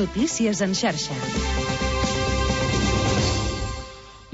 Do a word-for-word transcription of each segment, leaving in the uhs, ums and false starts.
Notícies en xarxa.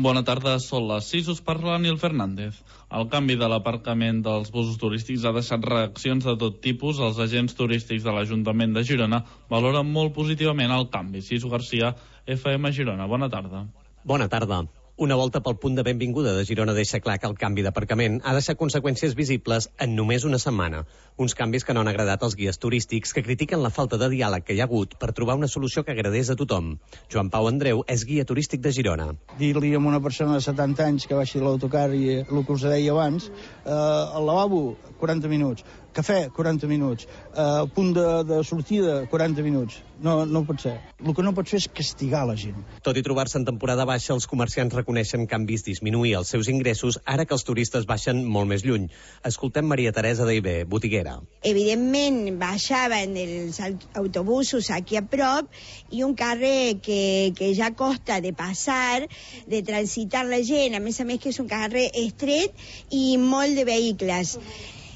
Bona tarda, són les sis, us parla Nil Fernández. El canvi de l'aparcament dels busos turístics ha deixat reaccions de tot tipus. Els agents turístics de l'Ajuntament de Girona valoren molt positivament el canvi. Sisu Garcia, F M Girona, bona tarda. Bona tarda. Una volta pel punt de benvinguda de Girona deixa clar que el canvi d'aparcament ha deixat conseqüències visibles en només una setmana. Uns canvis que no han agradat als guies turístics, que critiquen la falta de diàleg que hi ha hagut per trobar una solució que agradés a tothom. Joan Pau Andreu és guia turístic de Girona. Dir-li a una persona de setanta anys que baixi l'autocar i el que us deia abans, eh, al lavabo, quaranta minuts, cafè, quaranta minuts, eh, punt de, de sortida, quaranta minuts. No, no pot ser. El que no pot fer és castigar la gent. Tot i trobar-se en temporada baixa, els comerciants reconeixen que han vist disminuir els seus ingressos ara que els turistes baixen molt més lluny. Escoltem Maria Teresa Deibé, botiguera. Evidentment, baixaven els autobusos aquí a prop i un carrer que, que ja costa de passar, de transitar la gent, a més a més que és un carrer estret i molt de vehicles.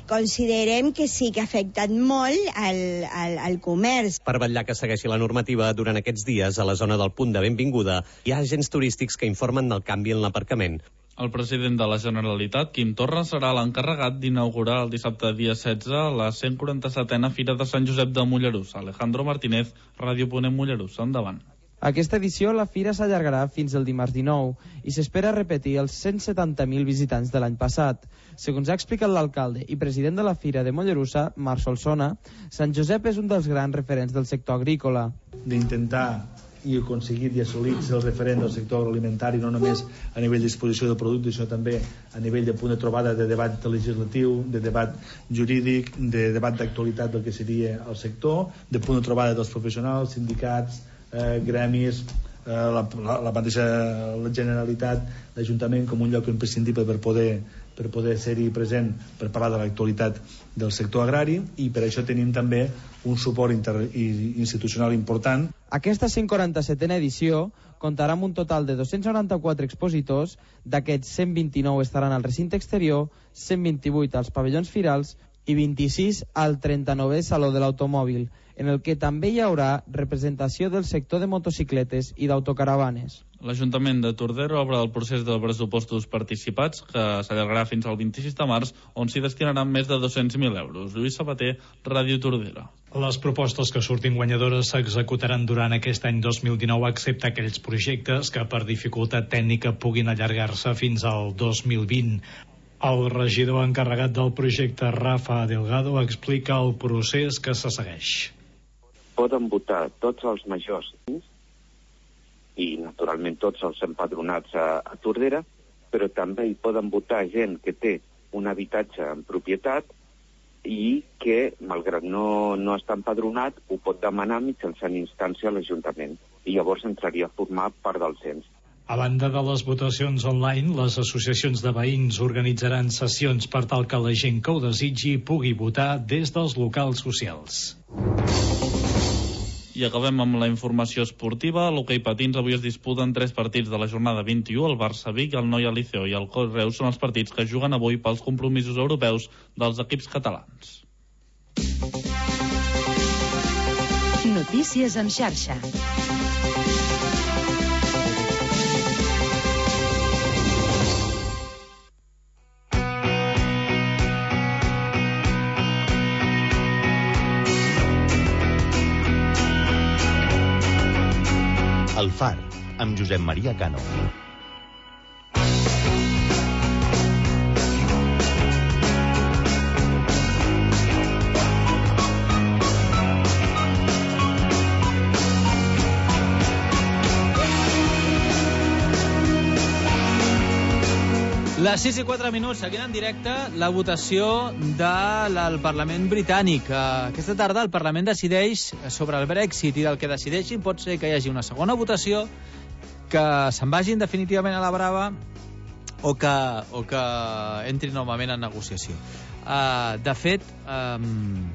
Considerem que sí que ha afectat molt al, al, al comerç. Per vetllar que segueixi la normativa, durant aquests dies, a la zona del punt de benvinguda, hi ha agents turístics que informen del canvi en l'aparcament. El president de la Generalitat, Quim Torra, serà l'encarregat d'inaugurar el dissabte dia setze la cent quaranta-setena Fira de Sant Josep de Mollerussa. Alejandro Martínez, Ràdio Ponent Mollerussa. Endavant. Aquesta edició, la fira s'allargarà fins el dimarts dinou i s'espera repetir els cent setanta mil visitants de l'any passat. Segons ha explicat l'alcalde i president de la Fira de Mollerussa, Marc Solsona, Sant Josep és un dels grans referents del sector agrícola. D'intentar i aconseguir i assolir el referent del sector agroalimentari, no només a nivell d'exposició de productes, sinó també a nivell de punt de trobada de debat legislatiu, de debat jurídic, de debat d'actualitat del que seria el sector, de punt de trobada dels professionals, sindicats, eh, gremis, eh, la, la, la mateixa la Generalitat, l'Ajuntament com un lloc imprescindible per poder, per poder ser-hi present per parlar de l'actualitat del sector agrari, i per això tenim també un suport inter, institucional important. Aquesta cent quaranta-setena edició comptarà amb un total de dos-cents noranta-quatre expositors. D'aquests, cent vint-i-nou estaran al recinte exterior, cent vint-i-vuit als pavellons firals i vint-i-sis al trenta-novè Saló de l'Automòbil, en el que també hi haurà representació del sector de motocicletes i d'autocaravanes. L'Ajuntament de Tordera obre el procés de pressupostos participats, que s'allargarà fins al vint-i-sis de març, on s'hi destinaran més de dos-cents mil euros. Lluís Sabater, Ràdio Tordera. Les propostes que surtin guanyadores s'executaran durant aquest any dos mil dinou, excepte aquells projectes que per dificultat tècnica puguin allargar-se fins al dos mil vint. El regidor encarregat del projecte, Rafa Delgado, explica el procés que se segueix. Poden votar tots els majors i, naturalment, tots els empadronats a, a Tordera, però també hi poden votar gent que té un habitatge en propietat i que, malgrat no, no està empadronat, ho pot demanar mitjançant instància a l'Ajuntament i llavors entraria a formar part del cens. A banda de les votacions online, les associacions de veïns organitzaran sessions per tal que la gent que ho desitgi pugui votar des dels locals socials. I acabem amb la informació esportiva. A l'hoquei patins avui es disputen tres partits de la jornada vint-i-u. El Barça Vic, el Noia Liceo i el Reus són els partits que juguen avui pels compromisos europeus dels equips catalans. Notícies en xarxa. El Far, amb Josep Maria Cano. Les sis i quatre minuts, seguint en directe la votació del Parlament britànic. Aquesta tarda el Parlament decideix sobre el Brexit i del que decideixin pot ser que hi hagi una segona votació, que se'n vagin definitivament a la brava o que, o que entrin novament en negociació. Uh, de fet, um,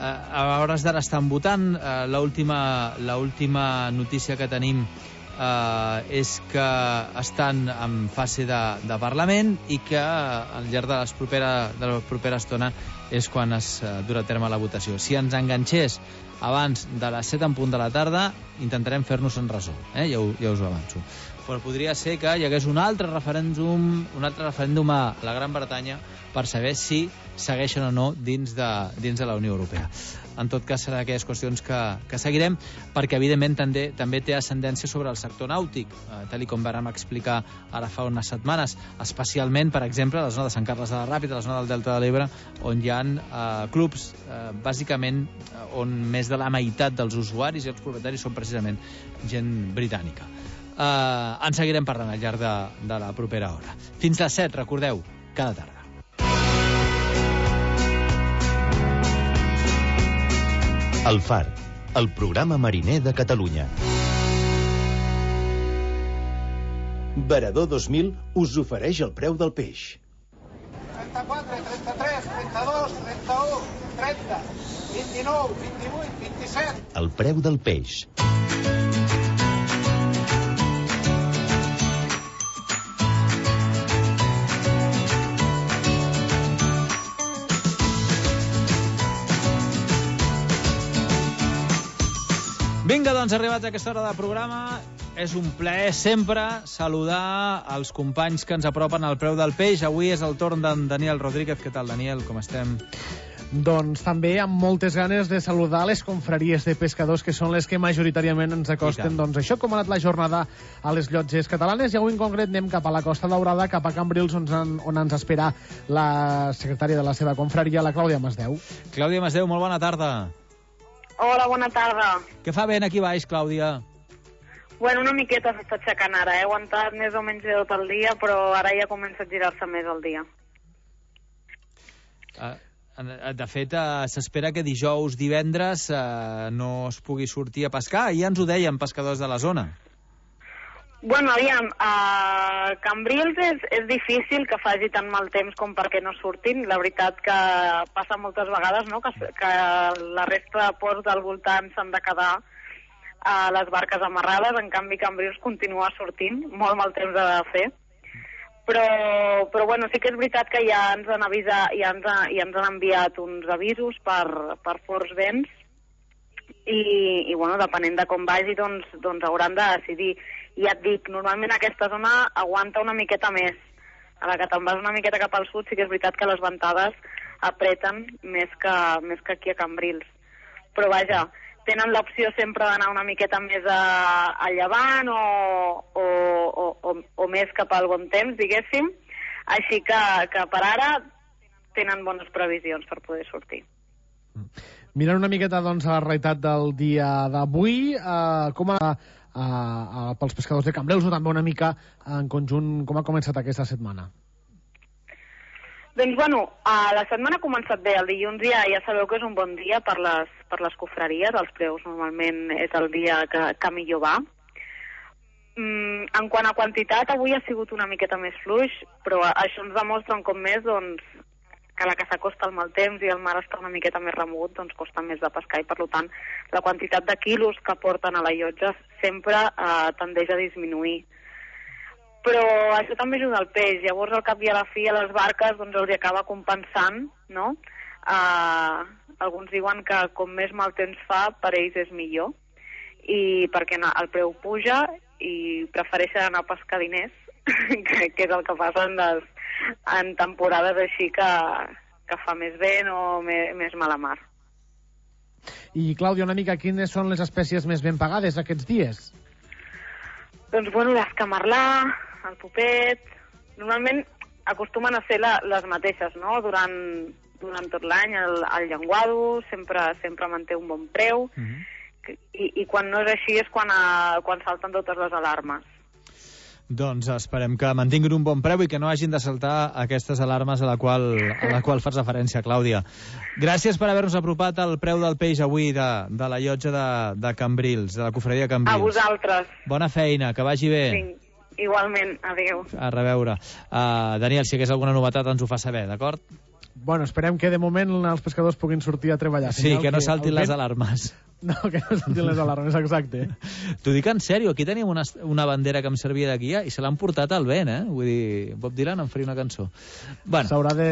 a hores d'ara estan votant. Uh, l'última, l'última notícia que tenim Uh, és que estan en fase de, de Parlament i que al llarg de, les propera, de la propera estona és quan es uh, durà a terme la votació. Si ens enganxés abans de les set en punt de la tarda, intentarem fer-nos en resum, eh? ja, ho, ja us ho avanço. Però podria ser que hi hagués un altre referèndum, un altre referèndum a la Gran Bretanya per saber si segueixen o no dins de, dins de la Unió Europea. En tot cas, serà aquelles qüestions que, que seguirem, perquè, evidentment, també, també té ascendència sobre el sector nàutic, eh, tal com vàrem explicar ara fa unes setmanes, especialment, per exemple, a la zona de Sant Carles de la Ràpita, a la zona del Delta de l'Ebre, on hi ha eh, clubs, eh, bàsicament, on més de la meitat dels usuaris i els propietaris són precisament gent britànica. Eh, en seguirem parlant al llarg de, de la propera hora. Fins les set, recordeu, cada tarda. El Far, el programa mariner de Catalunya. Varador dos mil us ofereix el preu del peix. trenta-quatre, trenta-tres, trenta-dos, trenta-u, trenta, vint-i-nou, vint-i-vuit, vint-i-set. El preu del peix. Vinga, doncs, arribats a aquesta hora de programa, és un plaer sempre saludar els companys que ens apropen al preu del peix. Avui és el torn d'en Daniel Rodríguez. Què tal, Daniel? Com estem? Doncs també amb moltes ganes de saludar les confraries de pescadors, que són les que majoritàriament ens acosten. Doncs això, com ha anat la jornada a les llotges catalanes, i avui en concret anem cap a la Costa Daurada, cap a Cambrils, on, on ens espera la secretària de la seva confraria, la Clàudia Masdeu. Clàudia Masdeu, molt bona tarda. Hola, bona tarda. Què fa vent aquí baix, Clàudia? Bueno, una miqueta s'està aixecant ara. He aguantat més o menys de tot el dia, però ara ja comença a girar-se més el dia. Uh, de fet, uh, s'espera que dijous, divendres, uh, no es pugui sortir a pescar. Ja ens ho deien pescadors de la zona. Bueno, aviam, a Cambrils és, és difícil que faci tan mal temps com perquè no surtin. La veritat que passa moltes vegades, no?, que, que la resta de ports del voltant s'han de quedar a les barques amarrades. En canvi, Cambrils continua sortint. Molt mal temps ha de fer. Però, però bueno, sí que és veritat que ja ens han avisat, ja ens, ha, ja ens han enviat uns avisos per, per forts vents i, i bueno, depenent de com vagi, doncs, doncs hauran de decidir. I ja et dic, normalment aquesta zona aguanta una miqueta més. A la que te'n vas una miqueta cap al sud, sí que és veritat que les ventades apreten més que, més que aquí a Cambrils. Però vaja, tenen l'opció sempre d'anar una miqueta més a, a llevant o, o, o, o, o més cap al bon temps, diguéssim. Així que, que per ara tenen bones previsions per poder sortir. Mirant una miqueta, doncs, a la realitat del dia d'avui, eh, com a Uh, uh, pels pescadors de Cambrils, o també una mica en conjunt, com ha començat aquesta setmana? Doncs, bueno, uh, la setmana ha començat bé. El dilluns ja, ja sabeu que és un bon dia per les, per les cofreries. Els preus normalment és el dia que, que millor va. Mm, en quant a quantitat, avui ha sigut una miqueta més fluix, però això ens demostra un cop més, doncs, que la que s'acosta el mal temps i el mar està una miqueta més remogut, doncs costa més de pescar i, per tant, la quantitat de quilos que porten a la llotja sempre eh, tendeix a disminuir. Però això també ajuda al peix. Llavors, al cap i a la fi, a les barques doncs els acaba compensant, no? Eh, alguns diuen que com més mal temps fa, per ells és millor, i perquè el preu puja i prefereixen anar a pescar diners, que, que és el que passa en les en temporades així que, que fa més vent o més, més mala mar. I, Clàudia, una mica, quines són les espècies més ben pagades aquests dies? Doncs, bueno, l'escamarlà, el popet... Normalment acostumen a ser la, les mateixes, no?, durant, durant tot l'any. El, el llenguado sempre, sempre manté un bon preu, mm-hmm. i, i quan no és així és quan, a, quan salten totes les alarmes. Doncs esperem que mantinguin un bon preu i que no hagin de saltar aquestes alarmes a la qual, a la qual fas referència, Clàudia. Gràcies per haver-nos apropat al preu del peix avui de, de la llotja de, de Cambrils, de la cofreria de Cambrils. A vosaltres. Bona feina, que vagi bé. Sí, igualment, adéu. A reveure. Uh, Daniel, si hagués alguna novetat ens ho fa saber, d'acord? Bueno, esperem que de moment els pescadors puguin sortir a treballar. Sí, que no saltin les alarmes. No, que no saltin les alarmes, exacte. T'ho dic en sèrio, aquí tenim una, una bandera que em servia de guia i se l'han portat al vent, eh? Vull dir, Bob Dylan en faria una cançó. Bueno. S'haurà de,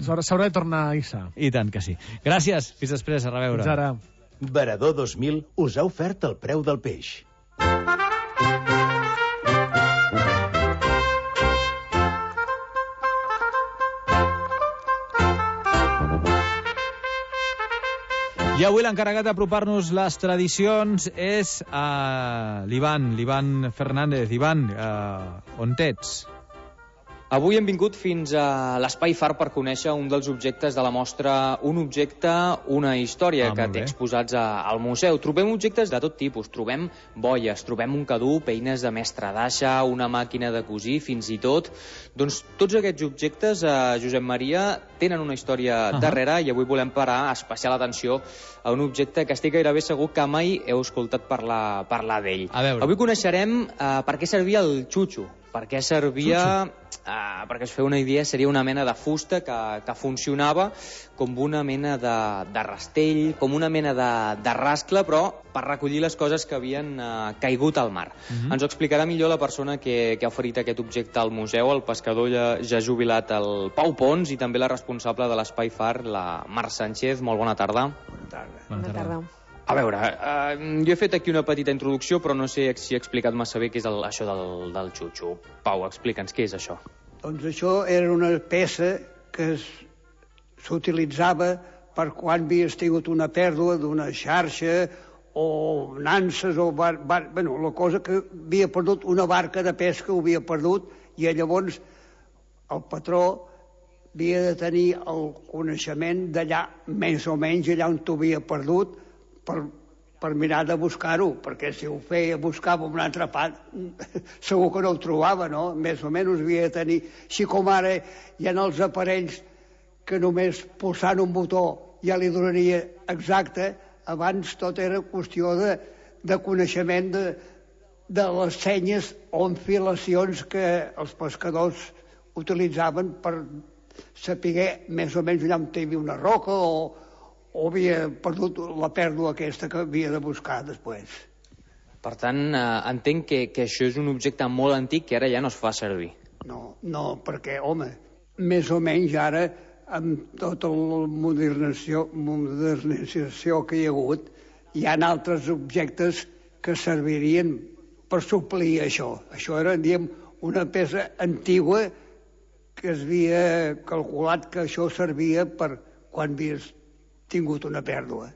s'haurà de tornar a hissar. I tant que sí. Gràcies, fins després, a reveure. Fins ara. Varador dos mil us ha ofert el preu del peix. I avui l'encarregat d'apropar-nos les tradicions és uh, l'Ivan, l'Ivan Fernández. Ivan, uh, on ets? Avui hem vingut fins a l'Espai Far per conèixer un dels objectes de la mostra Un objecte, una història, ah, que té exposats a, al museu. Trobem objectes de tot tipus. Trobem boies, trobem un cadup, eines de mestre d'aixa, una màquina de cosir, fins i tot. Doncs tots aquests objectes, eh, Josep Maria, tenen una història uh -huh. darrere, i avui volem parar especial atenció a un objecte que estic gairebé segur que mai heu escoltat parlar, parlar d'ell. Avui coneixerem eh, per què servia el xutxo. Per què servia... Uh, perquè es feu una idea, seria una mena de fusta que, que funcionava com una mena de, de rastell, com una mena de, de rascle, però per recollir les coses que havien uh, caigut al mar. Uh-huh. Ens ho explicarà millor la persona que, que ha oferit aquest objecte al museu, el pescador ja, ja jubilat, el Pau Pons, i també la responsable de l'Espai Far, la Mar Sánchez. Molt bona tarda. Bona tarda. Bona tarda. A veure, eh, jo he fet aquí una petita introducció, però no sé si he explicat massa bé què és el, això del, del xutxo. Pau, explica'ns què és això. Doncs això era una peça que s'utilitzava per quan havies tingut una pèrdua d'una xarxa o nanses o... Bar, bar, bueno, la cosa que havia perdut una barca de pesca, ho havia perdut, i llavors el patró havia de tenir el coneixement d'allà, més o menys allà on t'ho havia perdut, per, per mirar de buscar-ho, perquè si ho feia, buscava en una altra part, segur que no ho trobava, no? Més o menys havia de tenir... Així com ara hi ha els aparells que només pulsant un botó ja li donaria exacte, abans tot era qüestió de, de coneixement de, de les senyes o enfilacions que els pescadors utilitzaven per saber més o menys allà on hi havia una roca o o havia perdut la pèrdua aquesta que havia de buscar després. Per tant, eh, entenc que, que això és un objecte molt antic que ara ja no es fa servir. No, no, perquè, home, més o menys ara, amb tota la modernització, modernització que hi ha hagut, hi ha altres objectes que servirien per suplir això. Això era, diguem, una peça antigua que es havia calculat que això servia per quan havies tingut una pèrdua.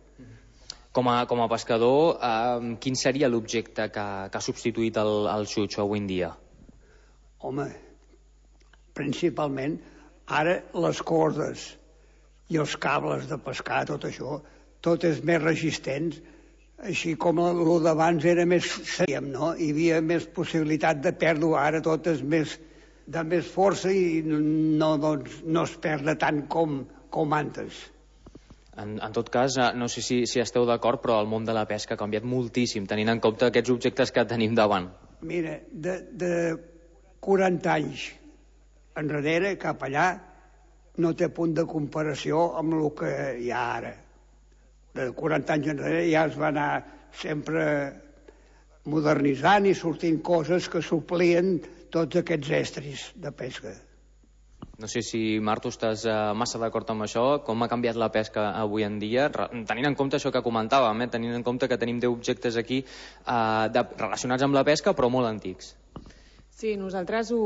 Com a, com a pescador, eh, quin seria l'objecte que, que ha substituït el, el xutxo avui en dia? Home, principalment, ara les cordes i els cables de pescar, tot això, tot és més resistent, així com el d'abans era més sèiem, no? Hi havia més possibilitat de pèrdua, ara tot és més, de més força i no, doncs, no es perd tant com, com antes. En, en tot cas, no sé si, si esteu d'acord, però el món de la pesca ha canviat moltíssim, tenint en compte aquests objectes que tenim davant. Mira, de, de quaranta anys enrere cap allà no té punt de comparació amb el que hi ha ara. De quaranta anys enrere ja es va anar sempre modernitzant i sortint coses que suplien tots aquests estris de pesca. No sé si, Marc, tu estàs eh, massa d'acord amb això. Com ha canviat la pesca avui en dia? Tenint en compte això que comentàvem, eh? tenint en compte que tenim deu objectes aquí eh, de, relacionats amb la pesca, però molt antics. Sí, nosaltres ho,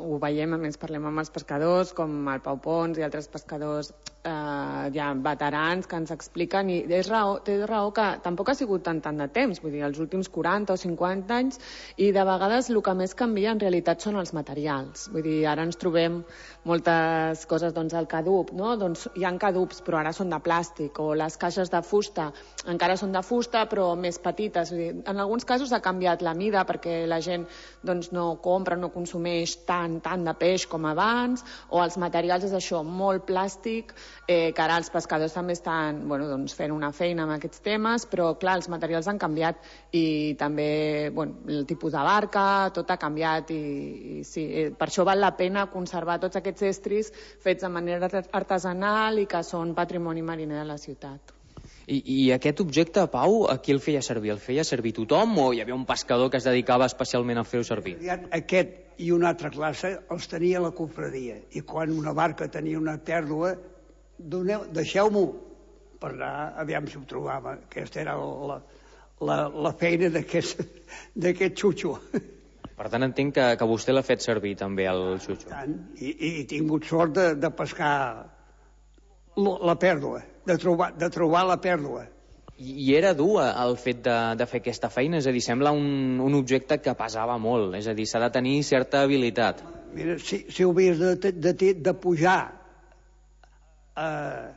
ho veiem, a més parlem amb els pescadors, com el Pau Pons i altres pescadors eh, ja veterans que ens expliquen, i és raó, té raó que tampoc ha sigut tant tant de temps, vull dir, els últims quaranta o cinquanta anys, i de vegades el que més canvia en realitat són els materials. Vull dir, ara ens trobem moltes coses, doncs el cadup, no? Doncs hi ha cadups, però ara són de plàstic, o les caixes de fusta encara són de fusta, però més petites. Vull dir, en alguns casos ha canviat la mida perquè la gent doncs, no compra, no consumeix tant, tant de peix com abans, o els materials és això, molt plàstic, eh, que ara els pescadors també estan bueno, doncs, fent una feina amb aquests temes, però clar, els materials han canviat i també bueno, el tipus de barca, tot ha canviat i, i sí, eh, per això val la pena conservar tots aquests estris fets de manera artesanal i que són patrimoni mariner de la ciutat. I, I aquest objecte, Pau, a qui el feia servir? El feia servir tothom o hi havia un pescador que es dedicava especialment a fer-ho servir? Aquest i una altra classe els tenia la confraria i quan una barca tenia una pèrdua, deixeu-m'ho per anar, aviam si ho trobava. Aquesta era la, la, la feina d'aquest xutxo. Per tant, entenc que, que vostè l'ha fet servir també, el xutxo. I, i he tingut sort de, de pescar la pèrdua, de trobar, de trobar la pèrdua. I, i era dur el fet de, de fer aquesta feina? És a dir, sembla un, un objecte que pesava molt, és a dir, s'ha de tenir certa habilitat. Mira, si, si ho havies de, de, de pujar, eh,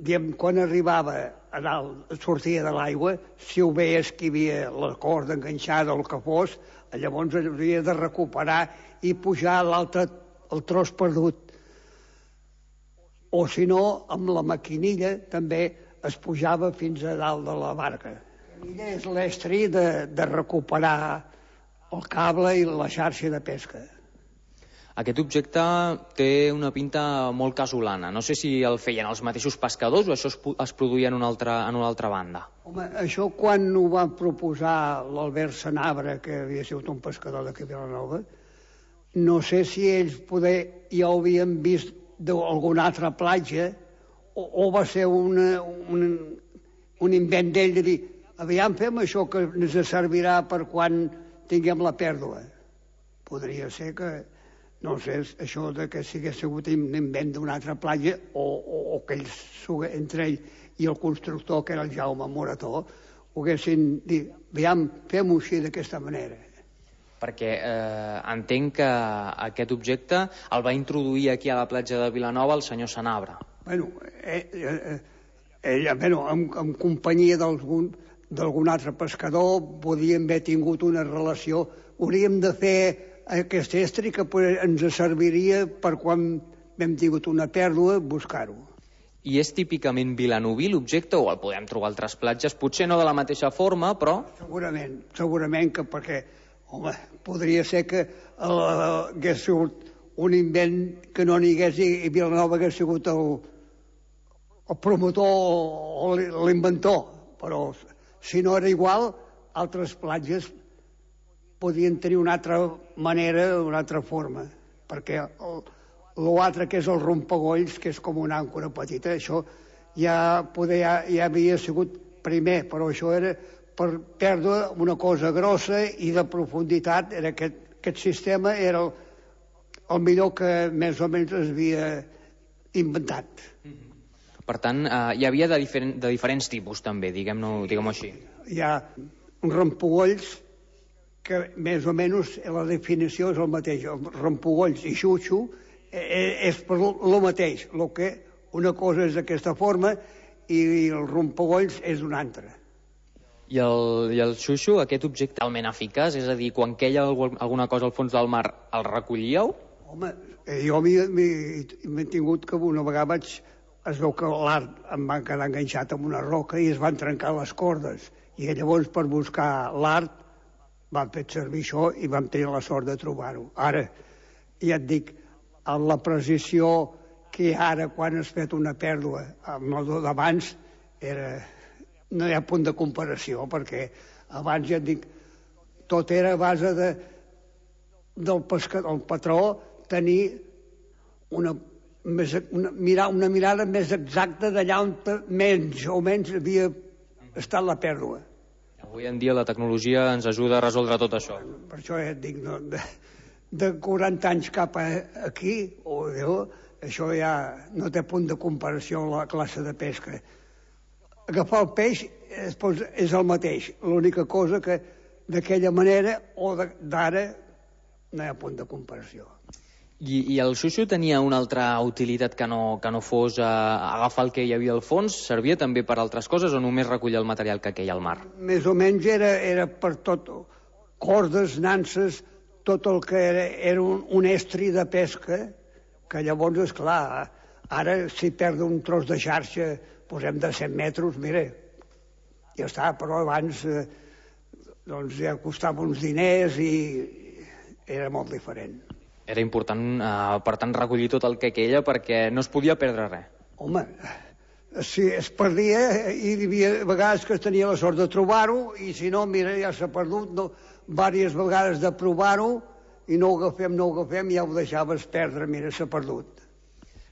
diem, quan arribava a dalt, sortia de l'aigua, si ho veies que hi havia la corda enganxada o el que fos, llavors havia de recuperar i pujar l'altre, el tros perdut. O si no, amb la maquinilla també es pujava fins a dalt de la barca. La maquinilla és l'estri de, de recuperar el cable i la xarxa de pesca. Aquest objecte té una pinta molt casolana. No sé si el feien els mateixos pescadors o això es, es produïa en una altra, en una altra banda. Home, això quan ho va proposar l'Albert Sanabra, que havia sigut un pescador d'aquí a Vilanova, no sé si ells poder ja ho havien vist d'alguna altra platja o, o va ser una, un, un invent d'ell de dir aviam fem això que ens servirà per quan tinguem la pèrdua. Podria ser que, no sé, això de que si hagués sigut un invent d'una altra platja o, o, o que ells, entre ell i el constructor, que era el Jaume Morató, ho haguessin dit, aviam, fem-ho així d'aquesta manera. Perquè eh, entenc que aquest objecte el va introduir aquí a la platja de Vilanova el senyor Sanabra. Bueno, eh, eh, ell, bueno en, en companyia d'algun altre pescador podíem haver tingut una relació. Hauríem de fer aquest estri que ens serviria per quan hem tingut una pèrdua, buscar-ho. I és típicament vilanoví l'objecte o el podem trobar a altres platges? Potser no de la mateixa forma, però... Segurament, segurament que perquè... Home, podria ser que uh, hagués sigut un invent que no n'hi hagués i Vilanova hagués sigut el, el promotor o l'inventor, però si no era igual, altres platges podien tenir una altra manera, una altra forma, perquè l'altre que és el rompagolls, que és com una àncora petita, això ja, poder, ja, ja havia sigut primer, però això era... per perdre una cosa grossa i de profunditat, era aquest, aquest sistema era el, el millor que més o menys es havia inventat. Per tant, eh, hi havia de, diferent, de diferents tipus també, diguem-ho diguem així. Hi ha un rampogolls que més o menys la definició és el mateix. El rampogolls i xutxo és per el mateix. Lo que una cosa és d'aquesta forma i el rampogolls és una altra. I el, i el xuxo, aquest objecte talment eficaç, és a dir, quan queia alguna cosa al fons del mar, el recollíeu? Home, jo m'he tingut que una vegada vaig... Es veu que l'art em va quedar enganxat amb una roca i es van trencar les cordes. I llavors, per buscar l'art, vam fer servir això i vam tenir la sort de trobar-ho. Ara, ja et dic, amb la precisió que ara, quan has fet una pèrdua, amb el d'abans, era... no hi ha punt de comparació, perquè abans ja et dic, tot era a base de, del pescador, el patró, tenir una, més, una, mirar, una mirada més exacta d'allà on menys o menys havia estat la pèrdua. Avui en dia la tecnologia ens ajuda a resoldre tot això. Per això ja et dic, no, de, de quaranta anys cap a aquí, oh Déu, això ja no té punt de comparació amb la classe de pesca. Agafar el peix és el mateix, l'única cosa que d'aquella manera o d'ara no hi ha punt de comparació. I, i el xuxo tenia una altra utilitat que no, que no fos eh, agafar el que hi havia al fons? Servia també per altres coses o només recollir el material que queia al mar? Més o menys era, era per tot, cordes, nanses, tot el que era, era un, un estri de pesca, que llavors, esclar, Ara, si perdo un tros de xarxa, posem de cent metres, mira, ja està, però abans eh, doncs ja costava uns diners i era molt diferent. Era important, eh, per tant, recollir tot el que queia perquè no es podia perdre res. Home, si es perdia, i hi havia vegades que tenia la sort de trobar-ho, i si no, mira, ja s'ha perdut, no, diverses vegades de provar-ho, i no ho agafem, no ho agafem, ja ho deixaves perdre, mira, s'ha perdut.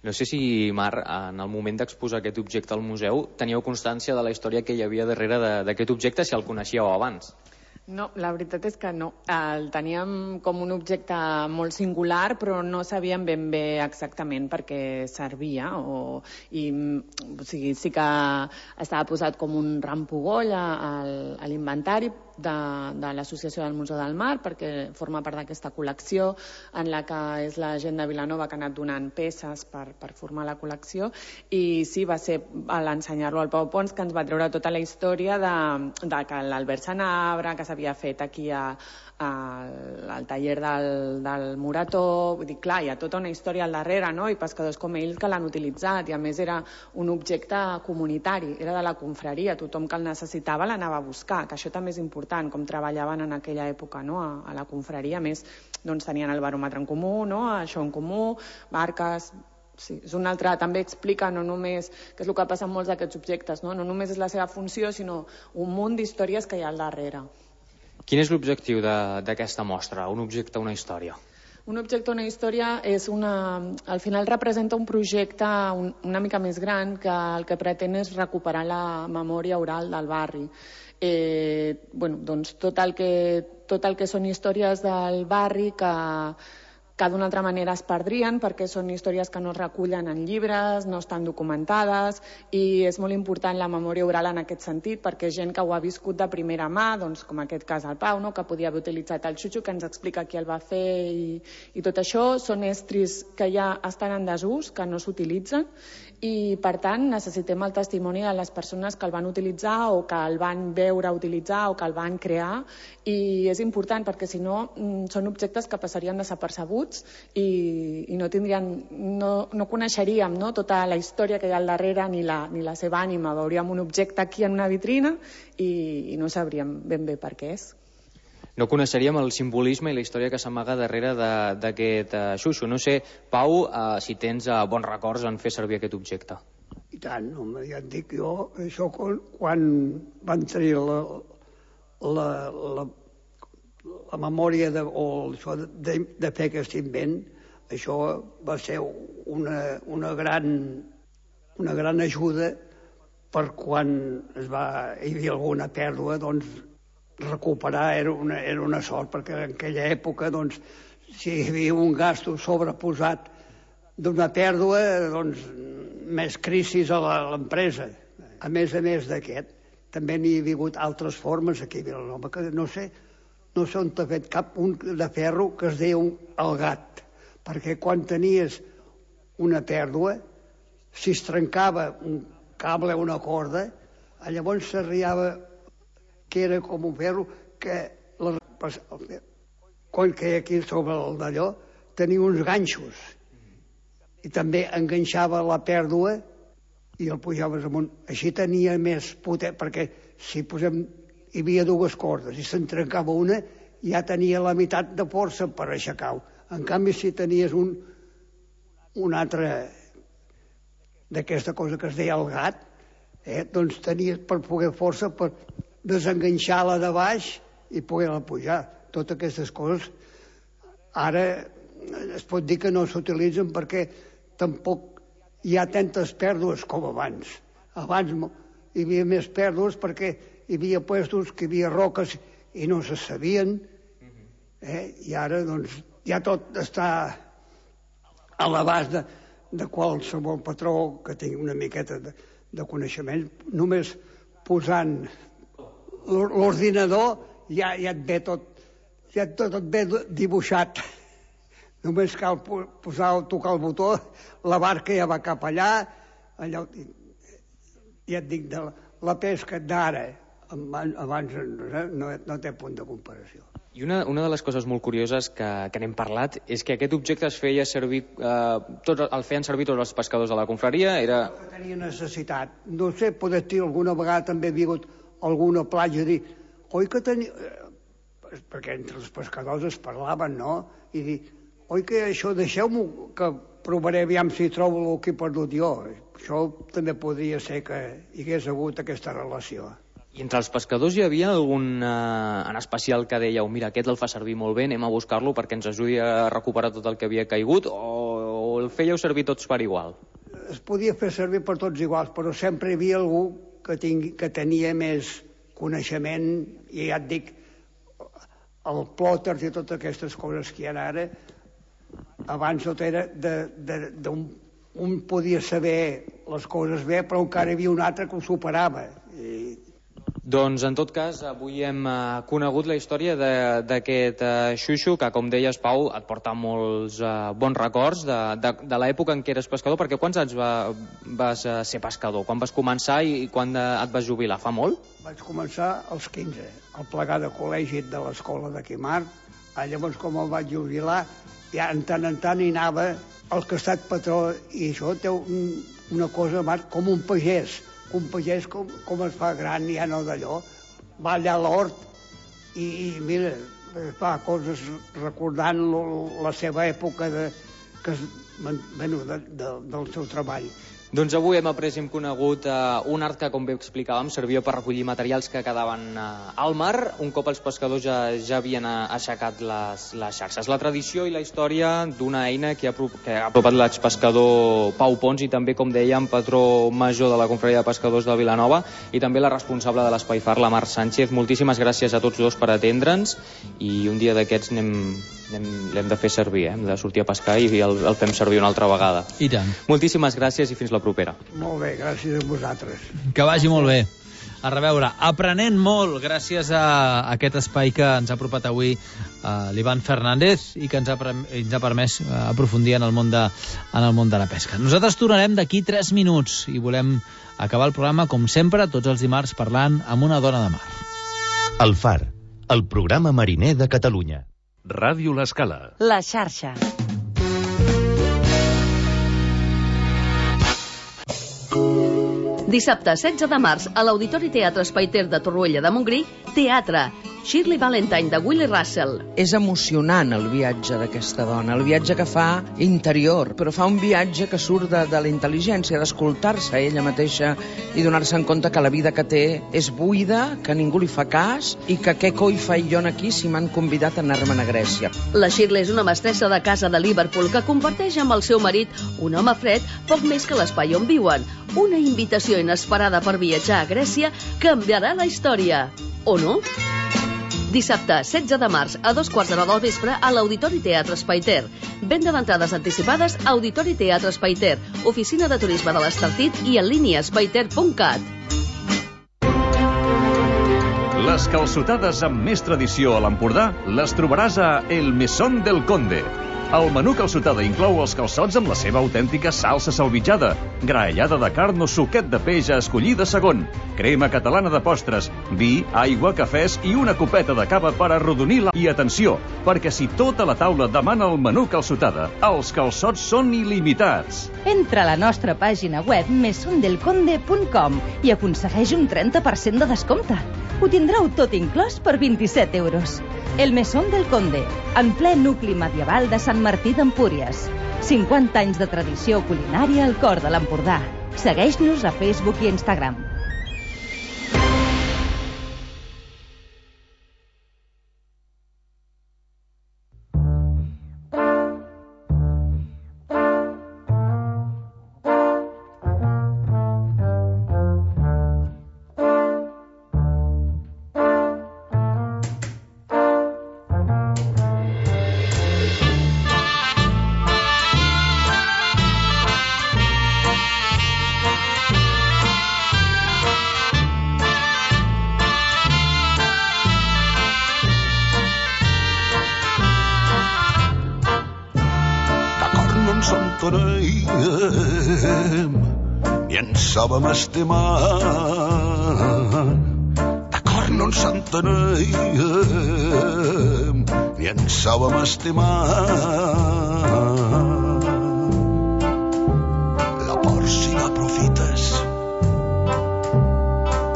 No sé si, Mar, en el moment d'exposar aquest objecte al museu, teníeu constància de la història que hi havia darrere d'aquest objecte, si el coneixíeu abans. No, la veritat és que no. El teníem com un objecte molt singular, però no sabíem ben bé exactament per què servia. O, i, o sigui, sí que estava posat com un rampogoll a, a l'inventari de, de l'Associació del Museu del Mar, perquè forma part d'aquesta col·lecció en la que és la gent de Vilanova que ha anat donant peces per, per formar la col·lecció. I sí, va ser a l'ensenyar-lo al Pau Pons que ens va treure tota la història de, de que l'Albert Sanabra, que s'havia fet aquí a, a, al taller del, del Morató. Vull dir, clar, hi ha tota una història al darrere, no? I pescadors com ells que l'han utilitzat, i a més era un objecte comunitari, era de la confraria, tothom que el necessitava l'anava a buscar, que això també és important, com treballaven en aquella època, no? a, a la confraria. A més, doncs, tenien el baròmetre en comú, no? Això en comú, barques. Sí, és un altre, també explica no només, que és el que passa amb molts d'aquests objectes, no? No només és la seva funció, sinó un munt d'històries que hi ha al darrere. Quin és l'objectiu d'aquesta mostra? Un objecte, una història? Un objecte, una història, és una, al final representa un projecte un, una mica més gran que el que pretén és recuperar la memòria oral del barri. Eh, bueno, doncs tot el que, tot el que són històries del barri que, que d'una altra manera es perdrien perquè són històries que no es recullen en llibres, no estan documentades, i és molt important la memòria oral en aquest sentit perquè gent que ho ha viscut de primera mà, doncs, com aquest cas el Pau, no? Que podia haver utilitzat el xutxo, que ens explica qui el va fer, i, i tot això són estris que ja estan en desús, que no s'utilitzen, i per tant necessitem el testimoni de les persones que el van utilitzar o que el van veure utilitzar o que el van crear, i és important perquè si no són objectes que passarien desapercebuts i, i no tindrien, no, no coneixeríem, no? Tota la història que hi ha al darrere ni la, ni la seva ànima. Veuríem un objecte aquí en una vitrina i, i no sabríem ben bé per què és. No coneixeríem el simbolisme i la història que s'amaga darrere d'aquest uh, xuxo. No sé, Pau, uh, si tens uh, bons records en fer servir aquest objecte. I tant, home, ja et dic jo, això quan, quan van tenir la, la, la, la memòria de, o això de, de fer aquest invent, això va ser una, una, gran, una gran ajuda per quan es va, hi havia alguna pèrdua, doncs recuperar era una, era una sort, perquè en aquella època, doncs, si hi havia un gasto sobreposat d'una pèrdua, doncs, més crisis a l'empresa. A més a més d'aquest, també n'hi ha hagut altres formes aquí a Vilanova, que no sé, no sé on t'ha fet cap un de ferro que es deia un, el gat, perquè quan tenies una pèrdua, si es trencava un cable o una corda, llavors s'arriava que era com un ferro que la, quan queia aquí sobre el d'allò tenia uns ganxos i també enganxava la pèrdua i el pujaves amunt. Així tenia més poder, perquè si posem, hi havia dues cordes i se'n trencava una, ja tenia la meitat de força per aixecar-ho. En canvi, si tenies un, un altre d'aquesta cosa que es deia el gat, eh, doncs tenies per poder força per desenganxar-la de baix i poder-la pujar. Totes aquestes coses ara es pot dir que no s'utilitzen perquè tampoc hi ha tantes pèrdues com abans. Abans hi havia més pèrdues perquè hi havia puestos que hi havia roques i no se sabien, eh? I ara doncs ja tot està a l'abast de, de qualsevol patró que tingui una miqueta de, de coneixement. Només posant l'ordinador ja, ja et ve tot, ja tot et ve dibuixat. Només cal posar, tocar el botó, la barca ja va cap allà, allò, ja et dic, de la, la pesca d'ara abans no, no té punt de comparació. I una, una de les coses molt curioses que, que n'hem parlat és que aquest objecte es feia servir, eh, tot, el feien servir tots els pescadors de la confraria, era... Que tenia necessitat. No sé, poder dir, alguna vegada també havia hagut alguna platja a dir, oi que tenia... Perquè entre els pescadors es parlaven, no? I dir, oi que això, deixeu-m'ho que provaré aviam si trobo el que he perdut jo. Això també podria ser que hi hagués hagut aquesta relació. I entre els pescadors hi havia algun eh, en especial que dèieu, mira, aquest el fa servir molt bé, anem a buscar-lo perquè ens ajudi a recuperar tot el que havia caigut, o, o el fèieu servir tots per igual? Es podia fer servir per tots iguals, però sempre hi havia algú que, tingui, que tenia més coneixement, i ja et dic, el plòters i totes aquestes coses que hi ha ara, abans tot era de, de, de un, un podia saber les coses bé, però encara hi havia un altre que ho superava. I, Doncs, en tot cas, avui hem uh, conegut la història d'aquest uh, xuxo, que, com deies, Pau, et porta molts uh, bons records de, de, de l'època en què eres pescador, perquè quants anys va, vas uh, ser pescador? Quan vas començar i, i quan uh, et vas jubilar? Fa molt? Vaig començar als quinze, al plegar de col·legi de l'escola de Quimar. Llavors, com el vaig jubilar, ja en tant en tant hi anava el que ha estat patró, i això té un, una cosa com un pagès. Un pagès com, com es fa gran, ja no d'allò, va allà a l'hort i, i mira, fa coses recordant lo, la seva època de, que, bueno, de, de, del seu treball. Doncs avui hem après i hem conegut uh, un art que, com bé explicàvem, servia per recollir materials que quedaven uh, al mar, un cop els pescadors ja, ja havien uh, aixecat les, les xarxes. La tradició i la història d'una eina que ha, que ha apropat l'expescador Pau Pons i també, com dèiem, patró major de la Confraria de Pescadors de Vilanova i també la responsable de l'Espai Far, la Mar Sánchez. Moltíssimes gràcies a tots dos per atendre'ns i un dia d'aquests anem... l'hem de fer servir, eh? Hem de sortir a pescar i el, el fem servir una altra vegada. I tant. Moltíssimes gràcies i fins la propera. Molt bé, gràcies a vosaltres. Que vagi molt bé. A reveure, aprenent molt gràcies a aquest espai que ens ha apropat avui uh, l'Ivan Fernández i que ens ha, ens ha permès uh, aprofundir en el, món de, en el món de la pesca. Nosaltres tornarem d'aquí tres minuts i volem acabar el programa, com sempre, tots els dimarts parlant amb una dona de mar. El Far, el programa mariner de Catalunya. Ràdio L'Escala. La xarxa. Dissabte setze de març a l'Auditori Teatre Espai Ter de Torroella de Montgrí, teatre. Shirley Valentine, de Willie Russell. És emocionant el viatge d'aquesta dona, el viatge que fa interior, però fa un viatge que surt de, de la intel·ligència, d'escoltar-se a ella mateixa i donar-se en compte que la vida que té és buida, que ningú li fa cas i que què coi faig jo aquí si m'han convidat a anar-me'n a Grècia. La Shirley és una mestressa de casa de Liverpool que comparteix amb el seu marit, un home fred, poc més que l'espai on viuen. Una invitació inesperada per viatjar a Grècia canviarà la història. O no? Dissabte, setze de març, a dos quarts de nou del vespre, a l'Auditori Teatre Espai Ter. Venda d'entrades anticipades a Auditori Teatre Espai Ter, oficina de turisme de l'Estartit i en línia espaiter punt cat. Les calçotades amb més tradició a l'Empordà les trobaràs a El Mesón del Conde. El menú calçotada inclou els calçots amb la seva autèntica salsa salvitjada, graellada de carn o suquet de peix a escollir de segon, crema catalana de postres, vi, aigua, cafès i una copeta de cava per arrodonir la... I atenció, perquè si tota la taula demana el menú calçotada, els calçots són il·limitats. Entra a la nostra pàgina web mesón del conde punt com i aconsegueix un trenta per cent de descompte. Ho tindreu tot inclòs per vint-i-set euros. El Mesón del Conde, en ple nucli medieval de Sant Martí d'Empúries. cinquanta anys de tradició culinària al cor de l'Empordà. Segueix-nos a Facebook i Instagram. i ens sàvem estimar. D'acord, no ens enteníem, i ens sàvem estimar. La por, si l'aprofites,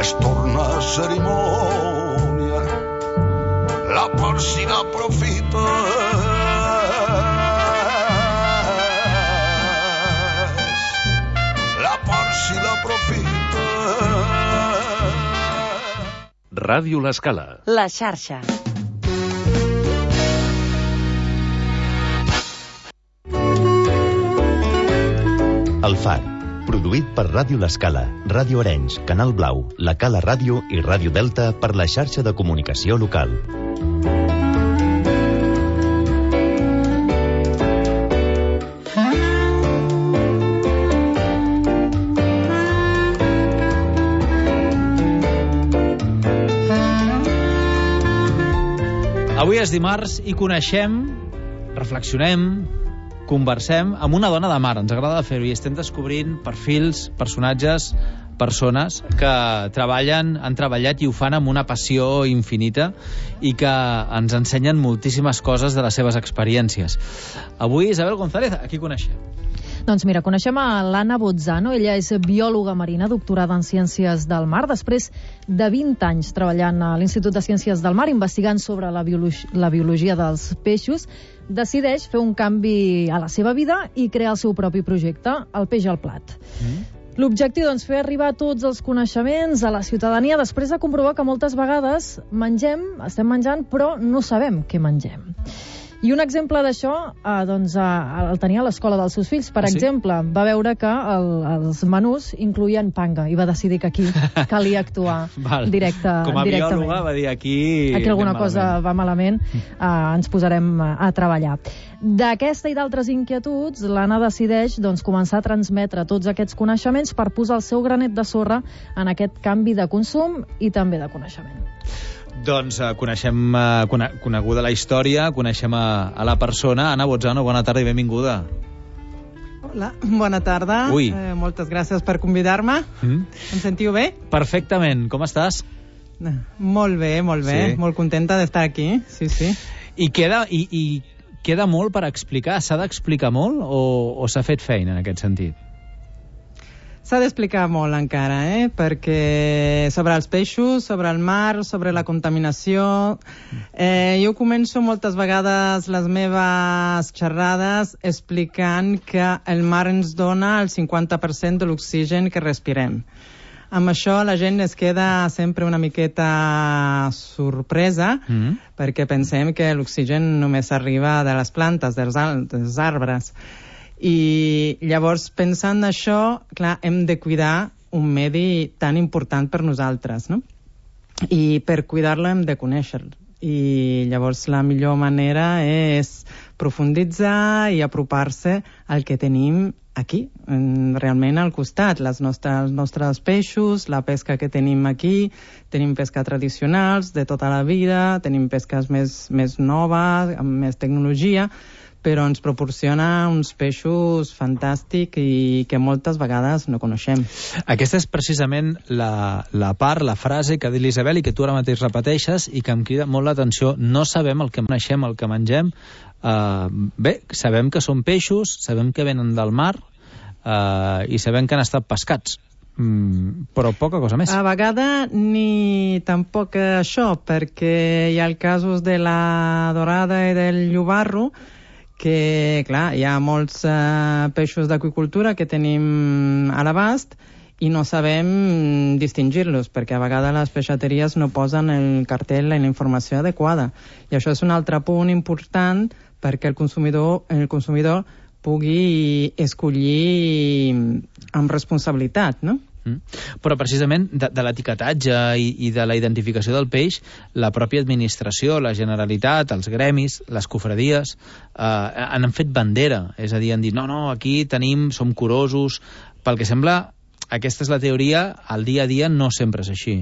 es torna cerimònia. La por, si l'aprofites, la por, si l'aprofites. Ràdio L'Escala. La xarxa. El Far, produït per Ràdio L'Escala, Ràdio Arenys, Canal Blau, La Cala Ràdio i Ràdio Delta per la xarxa de comunicació local. Avui és dimarts i coneixem, reflexionem, conversem amb una dona de mar. Ens agrada fer-ho i estem descobrint perfils, personatges, persones que treballen, han treballat i ho fan amb una passió infinita i que ens ensenyen moltíssimes coses de les seves experiències. Avui, Isabel González, a qui coneixem? Doncs mira, coneixem a l'Anna Bozzano. Ella és biòloga marina, doctorada en Ciències del Mar. Després de vint anys treballant a l'Institut de Ciències del Mar, investigant sobre la, biologia, la biologia dels peixos, decideix fer un canvi a la seva vida i crear el seu propi projecte, el Peix al Plat. Mm. L'objectiu, doncs, fer arribar tots els coneixements a la ciutadania després de comprovar que moltes vegades mengem, estem menjant, però no sabem què mengem. I un exemple d'això, eh, doncs, eh, el tenia a l'escola dels seus fills. Per ah, sí? exemple, va veure que el, els menús incluïen panga i va decidir que aquí calia actuar directe, Com a directament. biòloga va dir aquí... Aquí alguna cosa va malament, eh, ens posarem a treballar. D'aquesta i d'altres inquietuds, l'Anna decideix doncs, començar a transmetre tots aquests coneixements per posar el seu granet de sorra en aquest canvi de consum i també de coneixement. Doncs uh, coneixem, uh, cone coneguda la història, coneixem a, a la persona. Anna Bozzano, bona tarda i benvinguda. Hola, bona tarda. Ui. Eh, moltes gràcies per convidar-me. Mm. Em sentiu bé? Perfectament. Com estàs? Molt bé, molt bé. Sí. Molt contenta d'estar aquí. Sí, sí. I queda, i, i queda molt per explicar? S'ha d'explicar molt o, o s'ha fet feina en aquest sentit? S'ha d'explicar molt encara, eh? Perquè sobre els peixos, sobre el mar, sobre la contaminació... Eh, jo començo moltes vegades les meves xerrades explicant que el mar ens dona el cinquanta per cent de l'oxigen que respirem. Amb això la gent es queda sempre una miqueta sorpresa, mm. perquè pensem que l'oxigen només arriba de les plantes, dels, dels arbres. I llavors, pensant això, clar, hem de cuidar un medi tan important per nosaltres, no? I per cuidar-lo hem de conèixer-lo. I llavors la millor manera és profunditzar i apropar-se al que tenim aquí, realment al costat, les nostres, els nostres peixos, la pesca que tenim aquí. Tenim pesca tradicionals de tota la vida, tenim pesques més, més noves, amb més tecnologia, però ens proporciona uns peixos fantàstics i que moltes vegades no coneixem. Aquesta és precisament la, la part, la frase que ha dit l'Isabel i que tu ara mateix repeteixes i que em crida molt l'atenció. No sabem el que coneixem, el que mengem. Uh, bé, sabem que són peixos, sabem que venen del mar uh, i sabem que han estat pescats. Mm, però poca cosa més. A vegades ni tampoc això, perquè hi ha els casos de la dorada i del llobarro, que, clar, hi ha molts uh, peixos d'aquacultura que tenim a l'abast i no sabem distingir-los, perquè a vegades les peixateries no posen el cartell i la informació adequada. I això és un altre punt important perquè el consumidor, el consumidor pugui escollir amb responsabilitat, no? Mm. Però precisament de, de l'etiquetatge i, i de la identificació del peix, la pròpia administració, la Generalitat, els gremis, les cofradies eh, han fet bandera, és a dir, han dit no, no, aquí tenim, som curosos. Pel que sembla, aquesta és la teoria, al dia a dia no sempre és així.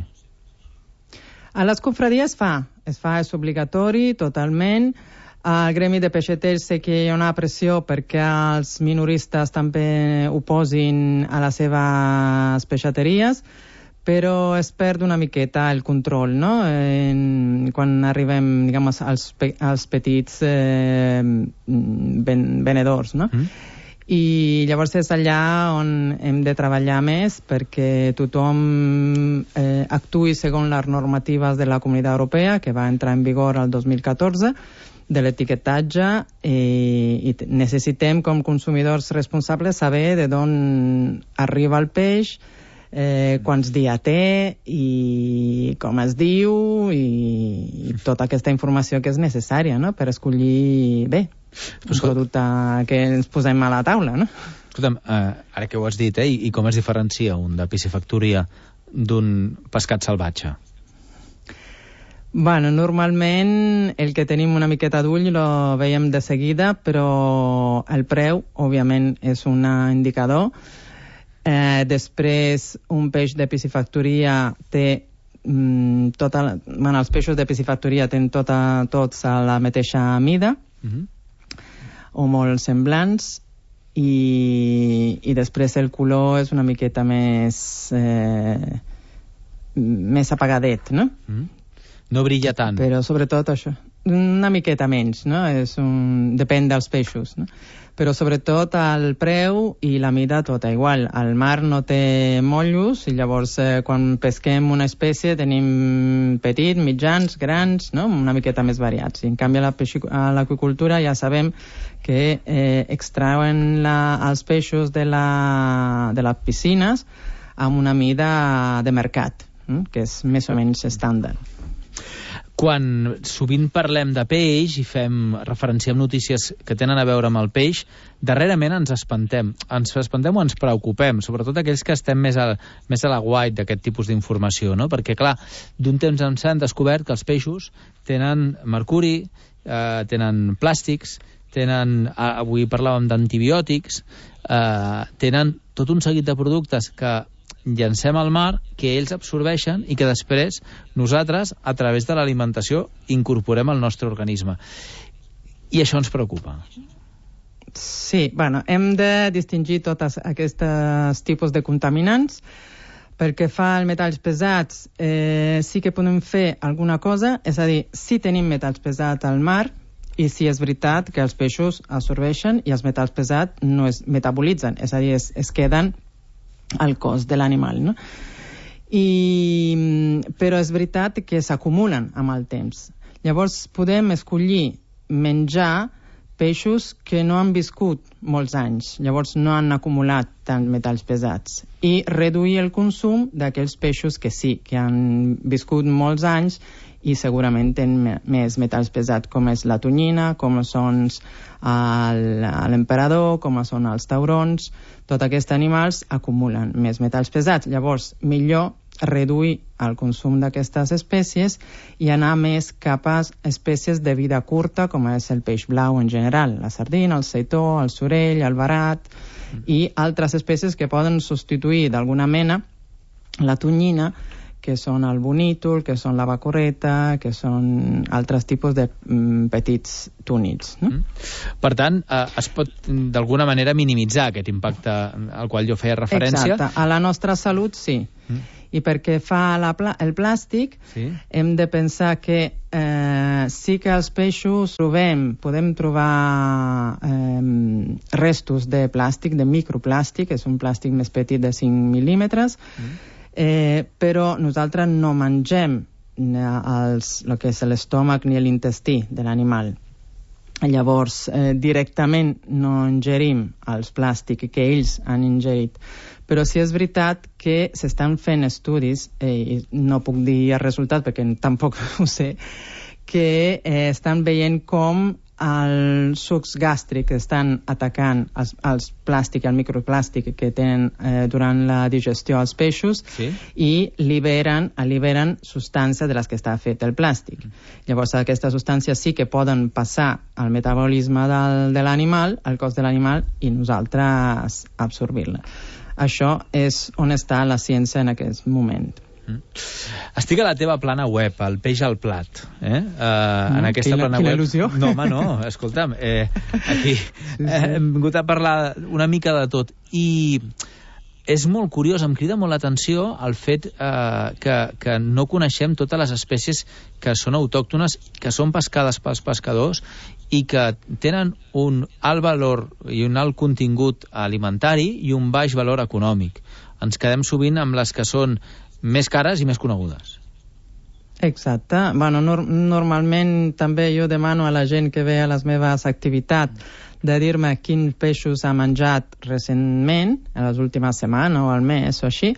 A les cofradies fa, es fa, és obligatori totalment. Al gremi de peixaters sé que hi ha una pressió perquè els minoristes també ho posin a les seves peixateries, però es perd una miqueta el control, no? En, quan arribem, diguem, als, pe als petits eh, ven venedors, no? Mm. I llavors és allà on hem de treballar més perquè tothom eh, actuï segons les normatives de la Comunitat Europea, que va entrar en vigor el dos mil catorze, de l'etiquetatge, i, i necessitem, com consumidors responsables, saber de d'on arriba el peix, Eh, quants dies té i com es diu i, i tota aquesta informació que és necessària, no?, per escollir bé un producte que ens posem a la taula, no? Escolta'm, eh, ara que ho has dit, eh, i, i com es diferencia un de piscifactoria d'un pescat salvatge? Bueno, normalment el que tenim una miqueta d'ull lo veiem de seguida, però el preu, òbviament, és un indicador. Eh, després, un peix de piscifactoria té mm, tota la, bueno, els peixos de piscifactoria tenen tota, tots a la mateixa mida, mm-hmm. o molt semblants, i, i després el color és una miqueta més eh, més apagadet, no? Mm-hmm. No brilla tant. Però sobretot això, una miqueta menys, no? És un... depèn dels peixos, no? Però sobretot el preu i la mida tota igual. El mar no té mollos i llavors eh, quan pesquem una espècie tenim petit, mitjans, grans, no? Una miqueta més variats. I en canvi a l'aqüicultura ja sabem que eh, extrauen la, els peixos de, la, de les piscines amb una mida de mercat, eh? Que és més o menys estàndard. Quan sovint parlem de peix i fem referenciem notícies que tenen a veure amb el peix, darrerament ens espantem. Ens espantem o ens preocupem, sobretot aquells que estem més a, més a la guait d'aquest tipus d'informació, no? Perquè, clar, d'un temps en s'han descobert que els peixos tenen mercuri, eh, tenen plàstics, tenen, avui parlàvem d'antibiòtics, eh, tenen tot un seguit de productes que llancem al mar, que ells absorbeixen i que després nosaltres, a través de l'alimentació, incorporem al nostre organisme. I això ens preocupa. Sí, bueno, hem de distingir tots aquests tipus de contaminants. Pel que fa als metalls pesats, eh, sí que podem fer alguna cosa, és a dir, si tenim metalls pesats al mar, i si és veritat que els peixos absorbeixen i els metalls pesats no es metabolitzen, és a dir, es, es queden al cos de l'animal, no? I, però és veritat que s'acumulen amb el temps. Llavors podem escollir menjar peixos que no han viscut molts anys, llavors no han acumulat tants metalls pesats, i reduir el consum d'aquells peixos que sí, que han viscut molts anys i segurament tenen més metalls pesats, com és la tonyina, com són l'emperador, com són els taurons. Tots aquests animals acumulen més metalls pesats. Llavors, millor reduir el consum d'aquestes espècies i anar més cap a espècies de vida curta, com és el peix blau en general, la sardina, el seitó, el sorell, el verat, mm. i altres espècies que poden substituir d'alguna mena la tonyina, que són el bonítol, que són la bacorreta, que són altres tipus de mm, petits túnids, no? Mm. Per tant, eh, es pot d'alguna manera minimitzar aquest impacte al qual jo feia referència. Exacte, a la nostra salut sí. Mm. I perquè fa la pla el plàstic, sí. Hem de pensar que eh, sí que els peixos trobem, podem trobar eh, restos de plàstic, de microplàstic, és un plàstic més petit de cinc mil·límetres, mm. Eh, però nosaltres no mengem els, el que és l'estómac ni l'intestí de l'animal. Llavors, eh, directament no ingerim els plàstics que ells han ingerit. Però sí és veritat que s'estan fent estudis, eh, i no puc dir el resultat perquè tampoc ho sé, que eh, estan veient com els sucs gàstrics estan atacant els, els plàstics, el microplàstic que tenen eh, durant la digestió als peixos, sí. I liberen, alliberen substàncies de les que està fet el plàstic. Mm. Llavors aquestes substàncies sí que poden passar al metabolisme del, de l'animal, al cos de l'animal, i nosaltres absorbir-la. Això és on està la ciència en aquest moment. Estic a la teva plana web, el peix al plat, eh? Uh, mm, en aquesta quina, plana quina web... il·lusió. No, home, no, escolta'm, eh, aquí sí, sí. Eh, hem vingut a parlar una mica de tot, i és molt curiós, em crida molt l'atenció el fet eh, que, que no coneixem totes les espècies que són autòctones, que són pescades pels pescadors i que tenen un alt valor i un alt contingut alimentari i un baix valor econòmic. Ens quedem sovint amb les que són més cares i més conegudes. Exacte. Bueno, nor normalment també jo demano a la gent que ve a les meves activitats de dir-me quins peixos ha menjat recentment, en les últimes setmanes o al mes o així,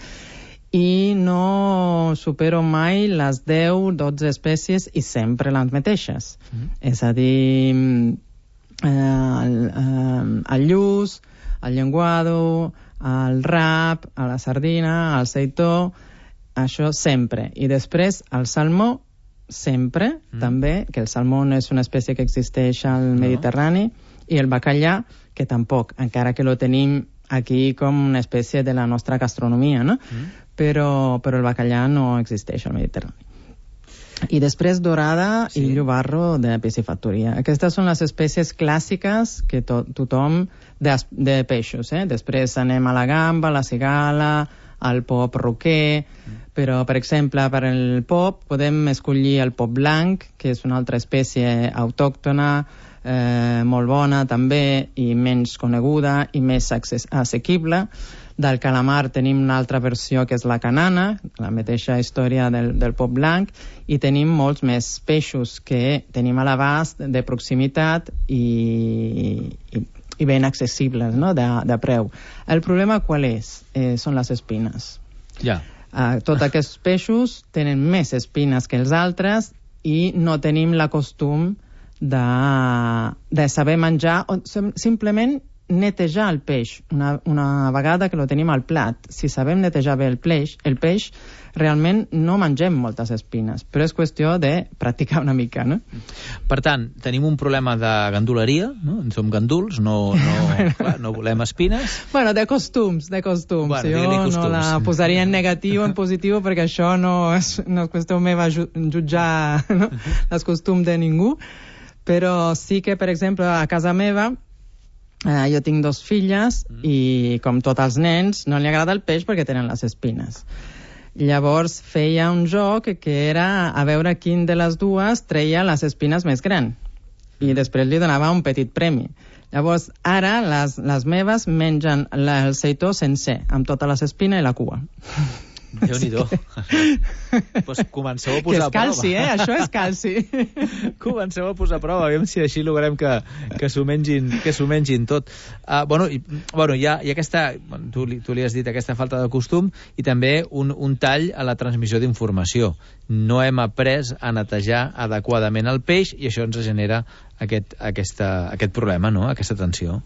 i no supero mai les deu dotze espècies i sempre les mateixes. Mm. És a dir, eh, el, eh, el lluç, el llenguado, el rap, la sardina, el seitó, això sempre. I després el salmó, sempre, mm. també, que el salmó no és una espècie que existeix al no. Mediterrani, i el bacallà, que tampoc, encara que lo tenim aquí com una espècie de la nostra gastronomia, no? Mm. Però, però el bacallà no existeix al Mediterrani. I després dorada sí. i llobarro de piscifactoria. Aquestes són les espècies clàssiques que to tothom de, de peixos, eh? Després anem a la gamba, la cigala, al pop roquer, mm. però, per exemple, per el pop podem escollir el pop blanc, que és una altra espècie autòctona, Eh, molt bona també i menys coneguda i més assequible. Del calamar tenim una altra versió que és la canana, la mateixa història del, del pop blanc, i tenim molts més peixos que tenim a l'abast de proximitat i, i, i ben accessibles, no? de, de preu. El problema qual és? Eh, són les espines. Ja. Uh, tots aquests peixos tenen més espines que els altres i no tenim la costum De, de saber menjar o simplement netejar el peix una, una vegada que lo tenim al plat. Si sabem netejar bé el peix, el peix realment no mengem moltes espines, però és qüestió de practicar una mica, no? Per tant, tenim un problema de ganduleria, no? Som ganduls, no, no, bueno. clar, no volem espines. Bueno, de costums, de costums. Bueno, jo costums. No la posaria en negatiu o en positiu perquè això no és, no és qüestió meva jutjar no? els costums de ningú. Però sí que, per exemple, a casa meva eh, jo tinc dos filles mm. i, com tots els nens, no li agrada el peix perquè tenen les espines. Llavors feia un joc que era a veure quin de les dues treia les espines més gran i després li donava un petit premi. Llavors, ara les, les meves mengen la, el seitó sencer, amb tota les espines i la cua. Déu-n'hi-do. Que... pues comenceu a posar a prova. Que és calci, eh? Això és calci. Comenceu a posar a prova, aviam si així logrem que, que s'ho mengin, que s'ho mengin tot. Uh, bueno, i, bueno, hi ha, hi ha aquesta, bueno, tu, tu li has dit, aquesta falta de costum i també un, un tall a la transmissió d'informació. No hem après a netejar adequadament el peix i això ens genera aquest, aquesta, aquest problema, no? Aquesta tensió.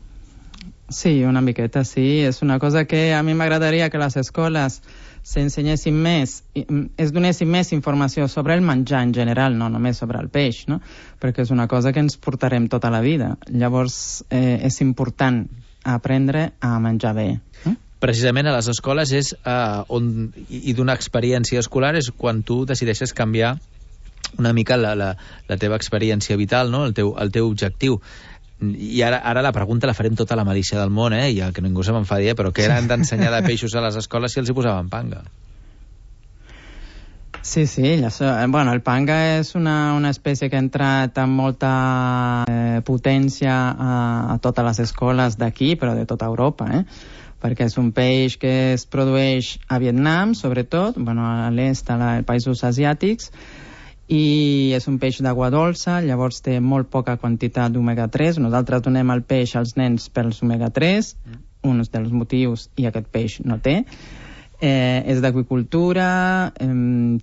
Sí, una miqueta, sí. És una cosa que a mi m'agradaria que les escoles s'ensenyessin més, es donessin més informació sobre el menjar en general, no només sobre el peix, no? Perquè és una cosa que ens portarem tota la vida. Llavors, eh, és important aprendre a menjar bé. Eh? Precisament a les escoles és eh, on, i d'una experiència escolar és quan tu decideixes canviar una mica la, la, la teva experiència vital, no? el, teu, el teu objectiu. I ara, ara la pregunta la farem tota la malícia del món, eh? I que ningú se m'enfadi, eh? Però què eren d'ensenyar de peixos a les escoles si els hi posaven panga? Sí, sí, això, bueno, el panga és una, una espècie que ha entrat amb molta eh, potència a, a totes les escoles d'aquí, però de tota Europa, eh? Perquè és un peix que es produeix a Vietnam, sobretot, bueno, a l'est, als països asiàtics, i és un peix d'aigua dolça, llavors té molt poca quantitat d'omega tres. Nosaltres donem el peix als nens pels omega tres, mm. un dels motius, i aquest peix no té. Eh, és d'aqüicultura, eh,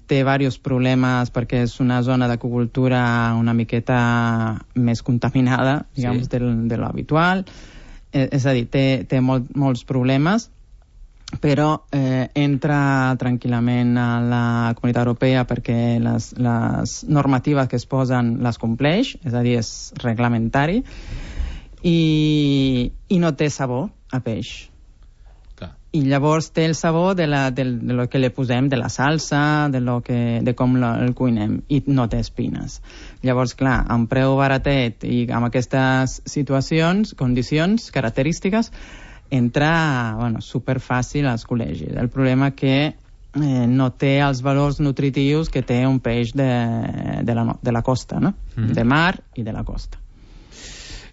té diversos problemes perquè és una zona d'aqüicultura una miqueta més contaminada, diguem, sí. de, de l'habitual. Eh, és a dir, té, té molt, molts problemes, però eh, entra tranquil·lament a la Comunitat Europea perquè les, les normatives que es posen les compleix, és a dir, és reglamentari, i, i no té sabor a peix. Clar. I llavors té el sabor de, la, de, de lo que li posem, de la salsa, de, lo que, de com lo, el cuinem, i no té espines. Llavors, clar, amb preu baratet i amb aquestes situacions, condicions, característiques, entra bueno, superfàcil als col·legis. El problema que eh, no té els valors nutritius que té un peix de, de, la, de la costa, no? Mm. De mar i de la costa.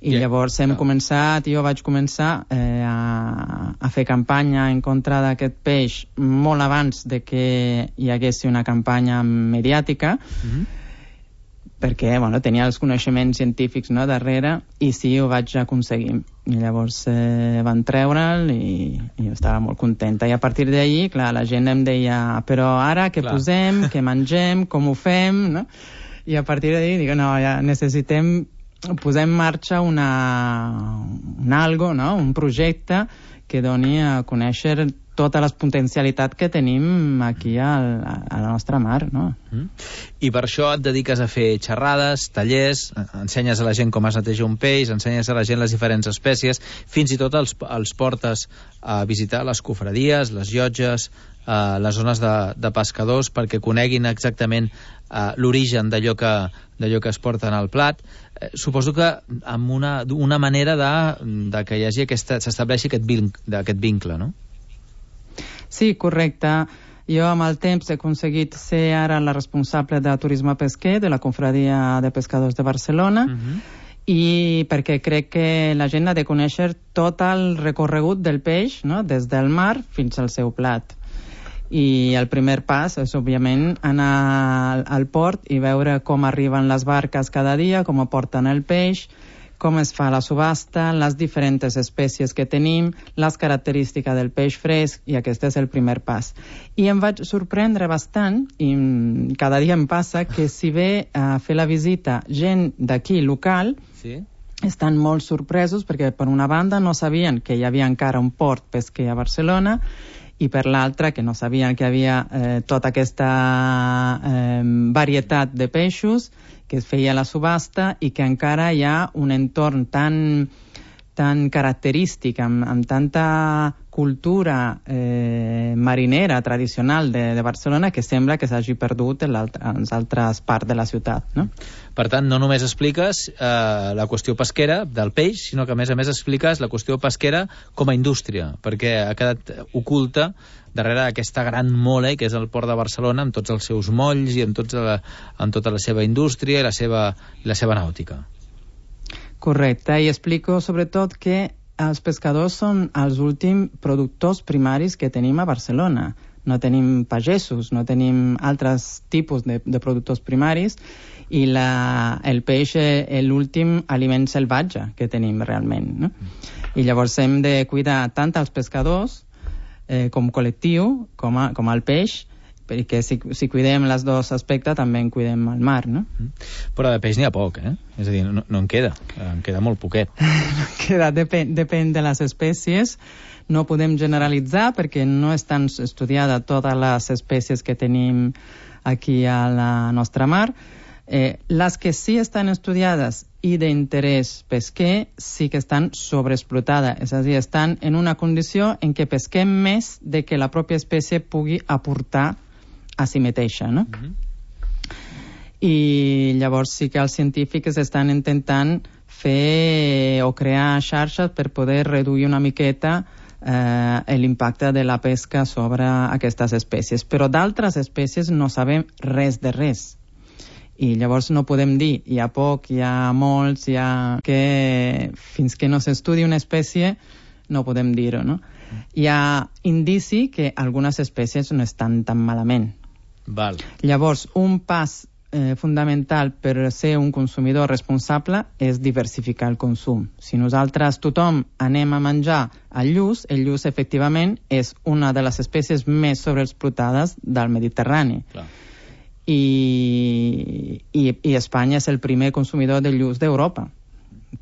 I yeah, llavors hem clar. començat, jo vaig començar eh, a, a fer campanya en contra d'aquest peix molt abans de que hi hagués una campanya mediàtica, mm-hmm. perquè bueno, tenia els coneixements científics, no, darrere, i sí, ho vaig aconseguir. I llavors eh, van treure'l i, i jo estava molt contenta. I a partir d'ahir, clar, la gent em deia però ara què clar. posem, què mengem, com ho fem, no? I a partir d'ahir dic, no, ja necessitem posar en marxa una, un algo, no? Un projecte que doni a conèixer tota la potencialitat que tenim aquí al, a la nostra mar, no? Mm. I per això et dediques a fer xerrades, tallers, ensenyes a la gent com es neteja un peix, ensenyes a la gent les diferents espècies, fins i tot els, els portes a visitar les cofradies, les llotges, eh, les zones de, de pescadors, perquè coneguin exactament eh, l'origen d'allò que, d'allò que es porta en el plat. Eh, suposo que amb una, una manera de, de que hi hagi aquesta, s'estableixi aquest, vinc, aquest vincle, no? Sí, correcte. Jo amb el temps he aconseguit ser ara la responsable de turisme pesquer de la Confradia de Pescadors de Barcelona, uh-huh. i perquè crec que la gent ha de conèixer tot el recorregut del peix, no? Des del mar fins al seu plat. I el primer pas és, òbviament, anar al, al port i veure com arriben les barques cada dia, com aporten el peix, com es fa la subhasta, les diferents espècies que tenim, les característiques del peix fresc, i aquest és el primer pas. I em vaig sorprendre bastant, i cada dia em passa, que si ve a fer la visita gent d'aquí local, sí. estan molt sorpresos, perquè per una banda no sabien que hi havia encara un port pesquer a Barcelona, i per l'altra que no sabien que hi havia eh, tota aquesta eh, varietat de peixos, que es feia la subhasta i que encara hi ha un entorn tan, tan característic, amb, amb tanta cultura eh, marinera tradicional de, de Barcelona, que sembla que s'hagi perdut en, en les altres parts de la ciutat, no? Per tant, no només expliques eh, la qüestió pesquera del peix, sinó que a més a més expliques la qüestió pesquera com a indústria, perquè ha quedat oculta darrere aquesta gran mole que és el port de Barcelona, amb tots els seus molls i amb, tots la, amb tota la seva indústria i la seva, i la seva nàutica. Correcte, i explico sobretot que els pescadors són els últims productors primaris que tenim a Barcelona. No tenim pagesos, no tenim altres tipus de, de productors primaris, i la, el peix és l'últim aliment salvatge que tenim realment, no? I llavors hem de cuidar tant els pescadors eh, com col·lectiu, com, a, com el peix, perquè si, si cuidem els dos aspectes també en cuidem el mar, no? Però de peix n'hi ha poc, eh? És a dir, no, no en queda, en queda molt poquet. No queda, depèn, depèn de les espècies. No podem generalitzar perquè no estan estudiades totes les espècies que tenim aquí a la nostra mar. Eh, les que sí estan estudiades i d'interès pesquer sí que estan sobreexplotades, és a dir, estan en una condició en què pesquem més de que la pròpia espècie pugui aportar a si mateixa, no? Mm-hmm. I llavors sí que els científics estan intentant fer o crear xarxes per poder reduir una miqueta eh, l'impacte de la pesca sobre aquestes espècies. Però d'altres espècies no sabem res de res. I llavors no podem dir, hi ha poc, hi ha molts, hi ha... que fins que no s'estudi una espècie no podem dir-ho, no? Hi ha indici que algunes espècies no estan tan malament. Val. Llavors, un pas eh, fundamental per ser un consumidor responsable és diversificar el consum. Si nosaltres tothom anem a menjar el lluç, el lluç efectivament és una de les espècies més sobreexplotades del Mediterrani. Clar. I, i, i Espanya és el primer consumidor de lluç d'Europa.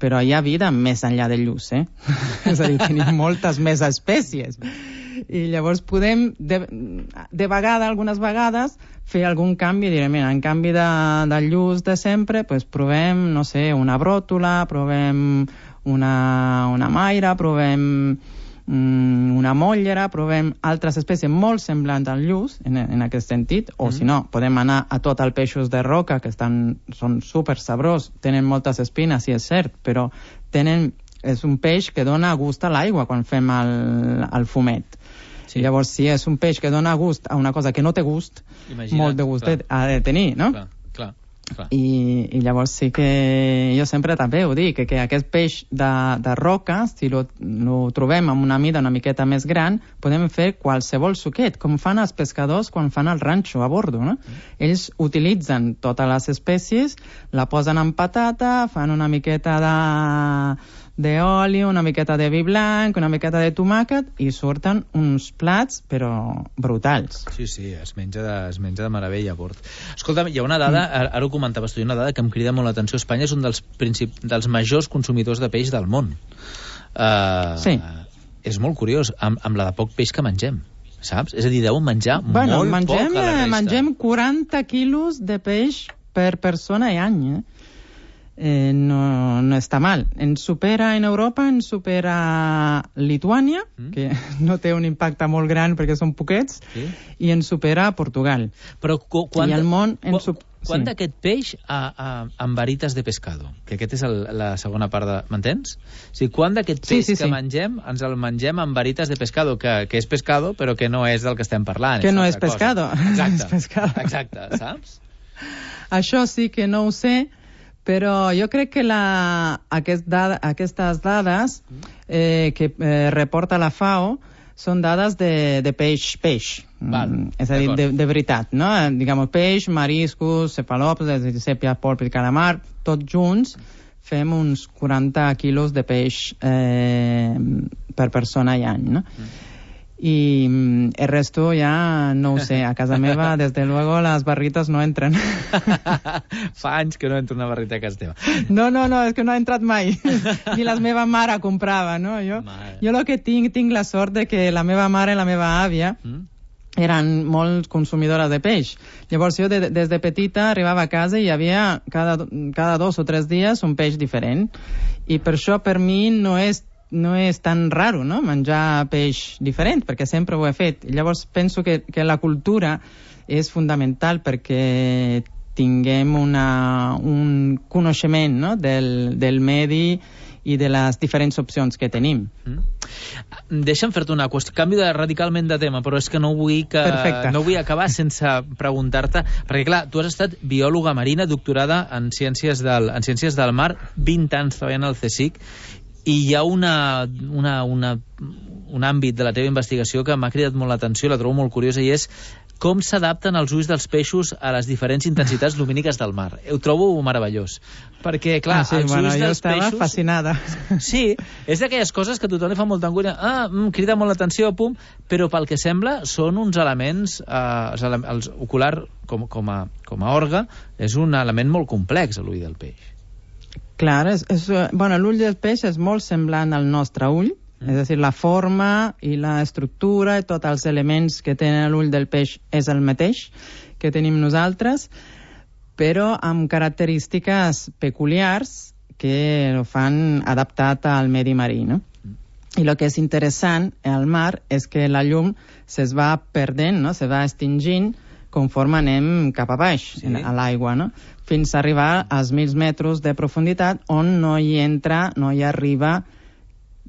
Però hi ha vida més enllà del lluç, eh? És a dir, tenim moltes més espècies. I llavors podem, de, de vegada, algunes vegades, fer algun canvi i dir, mira, en canvi de, del lluç de sempre, pues provem, no sé, una bròtula, provem una, una maira, provem una mollera, provem altres espècies molt semblants al lluç en, en aquest sentit, o mm. si no, podem anar a tot el peixos de roca que estan, són super sabrós, tenen moltes espines, sí és cert, però tenen és un peix que dona gust a l'aigua quan fem el, el fumet. Sí. Llavors, si és un peix que dona gust a una cosa que no té gust, Imagina't, molt de gust clar. ha de tenir, no? Clar, clar. Clar. I, i llavors sí que jo sempre també ho dic, que, que aquest peix de, de roca, si lo, lo trobem amb una mida una miqueta més gran, podem fer qualsevol suquet, com fan els pescadors quan fan el ranxo a bordo, no? Mm. Ells utilitzen totes les espècies, la posen en patata, fan una miqueta de d'oli, una miqueta de vi blanc, una miqueta de tomàquet, i surten uns plats, però brutals. Sí, sí, es menja de, es menja de meravella a bord. Escolta'm, hi ha una dada, mm. ara ho comentaves tu, hi ha una dada que em crida molt l'atenció. Espanya és un dels, princip... dels majors consumidors de peix del món. Uh, sí. És molt curiós, amb, amb la de poc peix que mengem, saps? És a dir, deuen menjar bueno, molt mengem, poc a la resta. Mengem quaranta quilos de peix per persona i any, eh? Eh, no, no està mal. Ens supera en Europa, ens supera Lituània, mm. que no té un impacte molt gran perquè són poquets, sí. i ens supera Portugal. Però quan, I el món ens quan, quan sí. d'aquest peix a, a, amb varites de pescado? Que aquest és el, la segona part de... M'entens? O sigui, quan d'aquest peix sí, sí, que sí. mengem ens el mengem amb varites de pescado, que, que és pescado però que no és del que estem parlant. Que no és pescado. Exacte, és pescado. Exacte, saps? Això sí que no ho sé, però jo crec que la, aquest dada, aquestes dades eh, que eh, reporta la FAO són dades de, de peix-peix. Mm, és a dir, de, de veritat, no? Diguem, peix, mariscos, cefalòpodes, sèpia, polp i calamar, tots junts fem uns quaranta quilos de peix eh, per persona i any, no? Mm. Y mm, el resto ya no ho sé. A casa meva, desde luego, las barritas no entren. Fa anys que no entra una barrita a casa teva. No, no, no, és que no ha entrat mai. Ni la meva mare comprava, no? Jo, jo el que tinc, tinc la sort de que la meva mare i la meva àvia mm. eren molt consumidores de peix. Llavors jo de, des de petita arribava a casa i hi havia cada, cada dos o tres dies un peix diferent. I per això per mi no és no és tan raro, no?, menjar peix diferent, perquè sempre ho he fet. Llavors penso que, que la cultura és fundamental perquè tinguem una, un coneixement, no?, del, del medi i de les diferents opcions que tenim. Mm. Deixa'm fer-te una qüestió, canvi de, radicalment de tema, però és que no vull, que, no vull acabar sense preguntar-te, perquè clar, tu has estat biòloga marina, doctorada en ciències del, en ciències del mar, vint anys treballant al CSIC, i hi ha una, una, una, un àmbit de la teva investigació que m'ha cridat molt l'atenció, la trobo molt curiosa, i és com s'adapten els ulls dels peixos a les diferents intensitats lumíniques del mar. Ho trobo meravellós. Perquè, clar, ah, sí, els bueno, ulls dels peixos... Jo estava peixos... fascinada. Sí, és d'aquelles coses que a tothom li fa molta angúnia. Ah, mm, crida molt l'atenció, pum, però pel que sembla són uns elements, eh, els, ele els ocular com, com, a, com a orga, és un element molt complex, l'ull del peix. Clar, és, és, bueno, l'ull del peix és molt semblant al nostre ull, mm. és a dir, la forma i l'estructura i tots els elements que tenen l'ull del peix és el mateix que tenim nosaltres, però amb característiques peculiars que ho fan adaptat al medi marí, no? Mm. I el que és interessant al mar és que la llum se's va perdent, no?, se va extingint conforme anem cap a baix, sí. a l'aigua, no?, fins a arribar als mil metres de profunditat on no hi entra, no hi arriba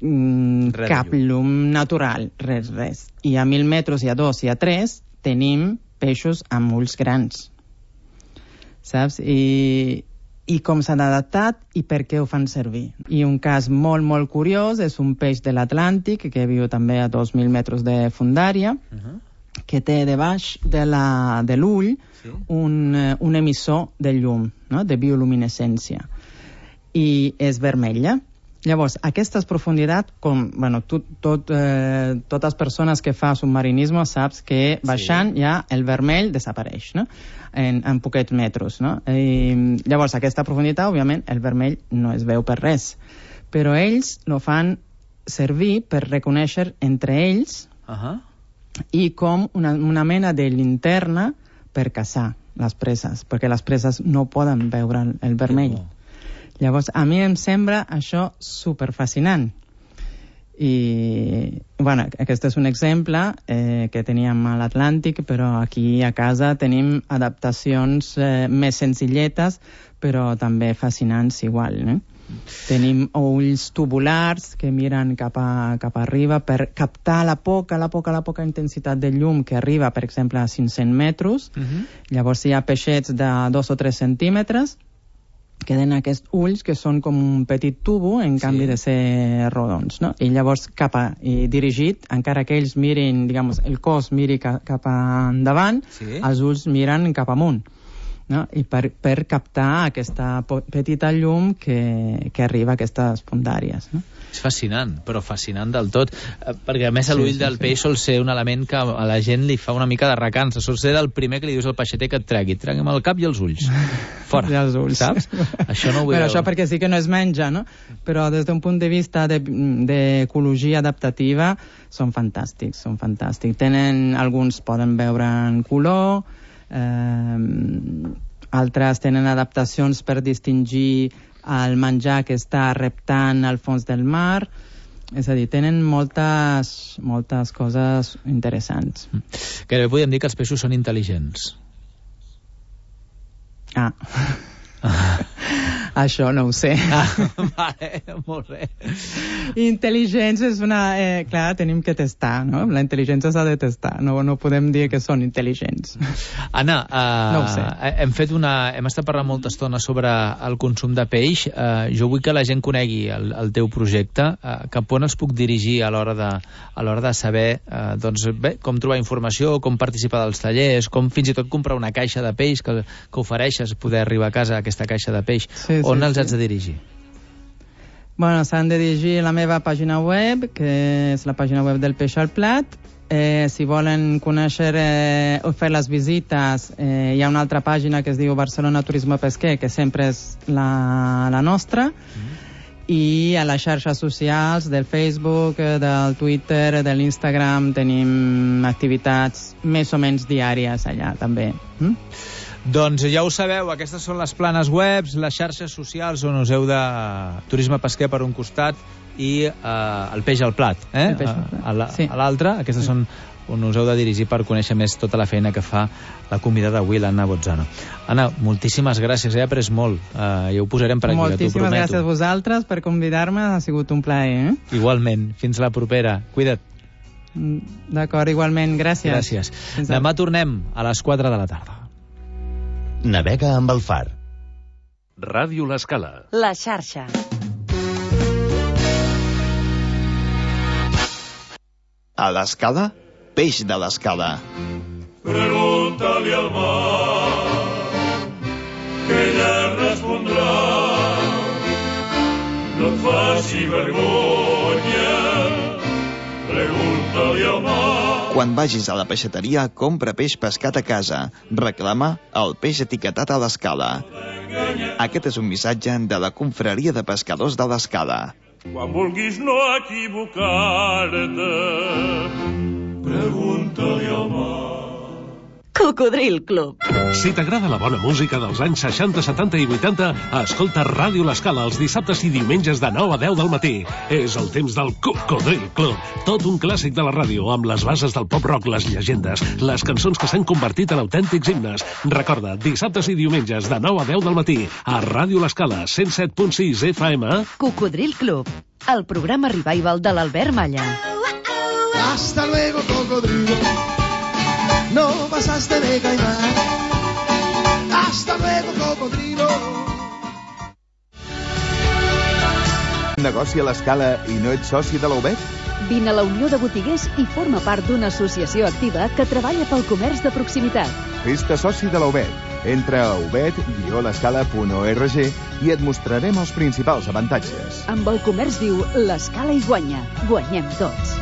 mm, cap llum natural, res, res. I a mil metres, i a dos, i a tres, tenim peixos amb ulls grans. Saps? I, i com s'han adaptat i per què ho fan servir. I un cas molt, molt curiós és un peix de l'Atlàntic que viu també a dos mil metres de fundària, uh-huh. que té debaix de la, de l'ull sí. un, un emissor de llum, no?, de bioluminescència, i és vermella. Llavors, aquestes profunditats, com, bueno, tot, tot, eh, totes les persones que fa submarinisme saps que baixant sí. ja el vermell desapareix, no?, en, en poquets metres, no? I, llavors, aquesta profunditat, òbviament, el vermell no es veu per res, però ells lo fan servir per reconèixer entre ells uh-huh. i com una, una mena de linterna per caçar les preses, perquè les preses no poden veure el, el vermell. Llavors, a mi em sembla això superfascinant. I, bueno, aquest és un exemple eh, que teníem a l'Atlàntic, però aquí a casa tenim adaptacions eh, més senzilletes, però també fascinants igual, no? Tenim ulls tubulars que miren cap, a, cap arriba per captar la poca, la poca, la poca intensitat de llum que arriba, per exemple, a cinc-cents metres. Uh-huh. Llavors hi ha peixets de dos o tres centímetres que tenen aquests ulls que són com un petit tubo en canvi sí. de ser rodons, no? I llavors cap a, i dirigit, encara que ells mirin, diguem, el cos miri ca, cap endavant, sí. els ulls miren cap amunt. No? I per, per captar aquesta petita llum que, que arriba a aquestes puntàries. No? És fascinant, però fascinant del tot, perquè a més l'ull sí, sí, del sí. peix sol ser un element que a la gent li fa una mica de recança, sol ser el primer que li dius al peixeter que et tregui, tregui'm el cap i els ulls. Fora, I els ulls. Saps? Això no ho vull veure. Això perquè sí que no es menja, no? Però des d'un punt de vista d'ecologia de, adaptativa són fantàstics, són fantàstics. Tenen, alguns poden veure en color, Eh, altres tenen adaptacions per distingir el menjar que està reptant al fons del mar. És a dir, tenen moltes, moltes coses interessants. Gairebé podem dir que els peixos són intel·ligents. Ah. Això no ho sé. Ah, vale, molt bé. Intel·ligència és una... Eh, clar, tenim que testar, no? La intel·ligència s'ha de testar, no, no podem dir que són intel·ligents. Anna, uh, no ho sé. hem fet una... hem estat parlant molta estona sobre el consum de peix. Uh, jo vull que la gent conegui el, el teu projecte. Uh, cap on els puc dirigir a l'hora de, a l'hora de saber uh, doncs, bé, com trobar informació, com participar dels tallers, com fins i tot comprar una caixa de peix que, que ofereixes, poder arribar a casa a aquesta caixa de peix. Sí, on sí, els sí. haig de dirigir? Bueno, s'han de dirigir a la meva pàgina web, que és la pàgina web del Peix al Plat. Eh, si volen conèixer eh, o fer les visites, eh, hi ha una altra pàgina que es diu Barcelona Turisme Pesquer, que sempre és la, la nostra. Mm. I a les xarxes socials del Facebook, del Twitter, de l'Instagram, tenim activitats més o menys diàries allà, també. Mm? Doncs ja ho sabeu, aquestes són les planes webs, les xarxes socials on us heu de turisme pesquer per un costat i eh, el peix al plat, eh? El peix al plat. A, a, sí. a l'altre, aquestes sí. són on us heu de dirigir per conèixer més tota la feina que fa la convidada d'avui, l'Anna Bozzano. Anna, moltíssimes gràcies, he après molt, uh, ja ho posarem per aquí, moltíssimes t'ho prometo. Gràcies a vosaltres per convidar-me, ha sigut un plaer. Eh? Igualment, fins la propera, cuida't. D'acord, igualment, gràcies. Gràcies. Demà tornem a les quatre de la tarda. Navega amb el far. Ràdio L'Escala. La xarxa. A l'Escala, peix de l'Escala. Pregunta-li al mar, que ella respondrà. No et faci vergonya, pregunta-li al mar. Quan vagis a la peixateria, compra peix pescat a casa. Reclama el peix etiquetat a l'Escala. Aquest és un missatge de la Confraria de Pescadors de l'Escala. Quan vulguis no equivocar-te, pregunta-li al mar. Cocodril Club. Si t'agrada la bona música dels anys seixanta, setanta i vuitanta, escolta Ràdio L'Escala els dissabtes i diumenges de nou a deu del matí. És el temps del Cocodril Club. Tot un clàssic de la ràdio, amb les bases del pop-rock, les llegendes, les cançons que s'han convertit en autèntics himnes. Recorda, dissabtes i diumenges de nou a deu del matí, a Ràdio L'Escala, cent set punt sis F M. Cocodril Club, el programa revival de l'Albert Malla. Hasta luego, cocodrilo. No pasaste de caimán. Hasta luego, cocodrilo. Negoci a l'Escala i no ets soci de la U B E T? Vine a la Unió de Botiguers i forma part d'una associació activa que treballa pel comerç de proximitat. Fes-te soci de la U B E T. Entra a u b e t guió l'escala punt org i et mostrarem els principals avantatges. Amb el comerç viu, l'Escala hi guanya. Guanyem tots.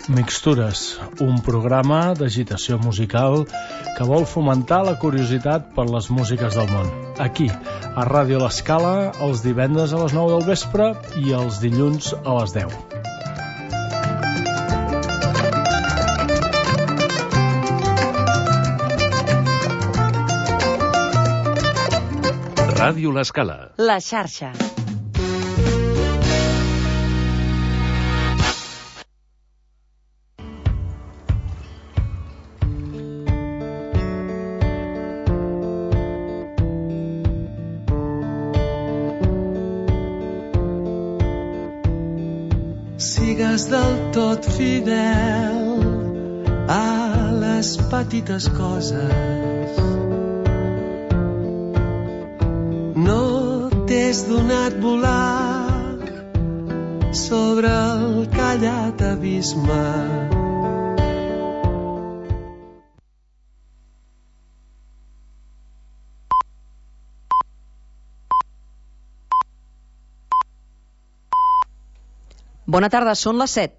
Mixtures, un programa d'agitació musical que vol fomentar la curiositat per les músiques del món. Aquí, a Ràdio L'Escala, els divendres a les nou del vespre i els dilluns a les deu. Ràdio L'Escala. La xarxa. sigues del tot fidel a les petites coses. No t'has donat volar sobre el callat abisme. Bona tarda, són les set.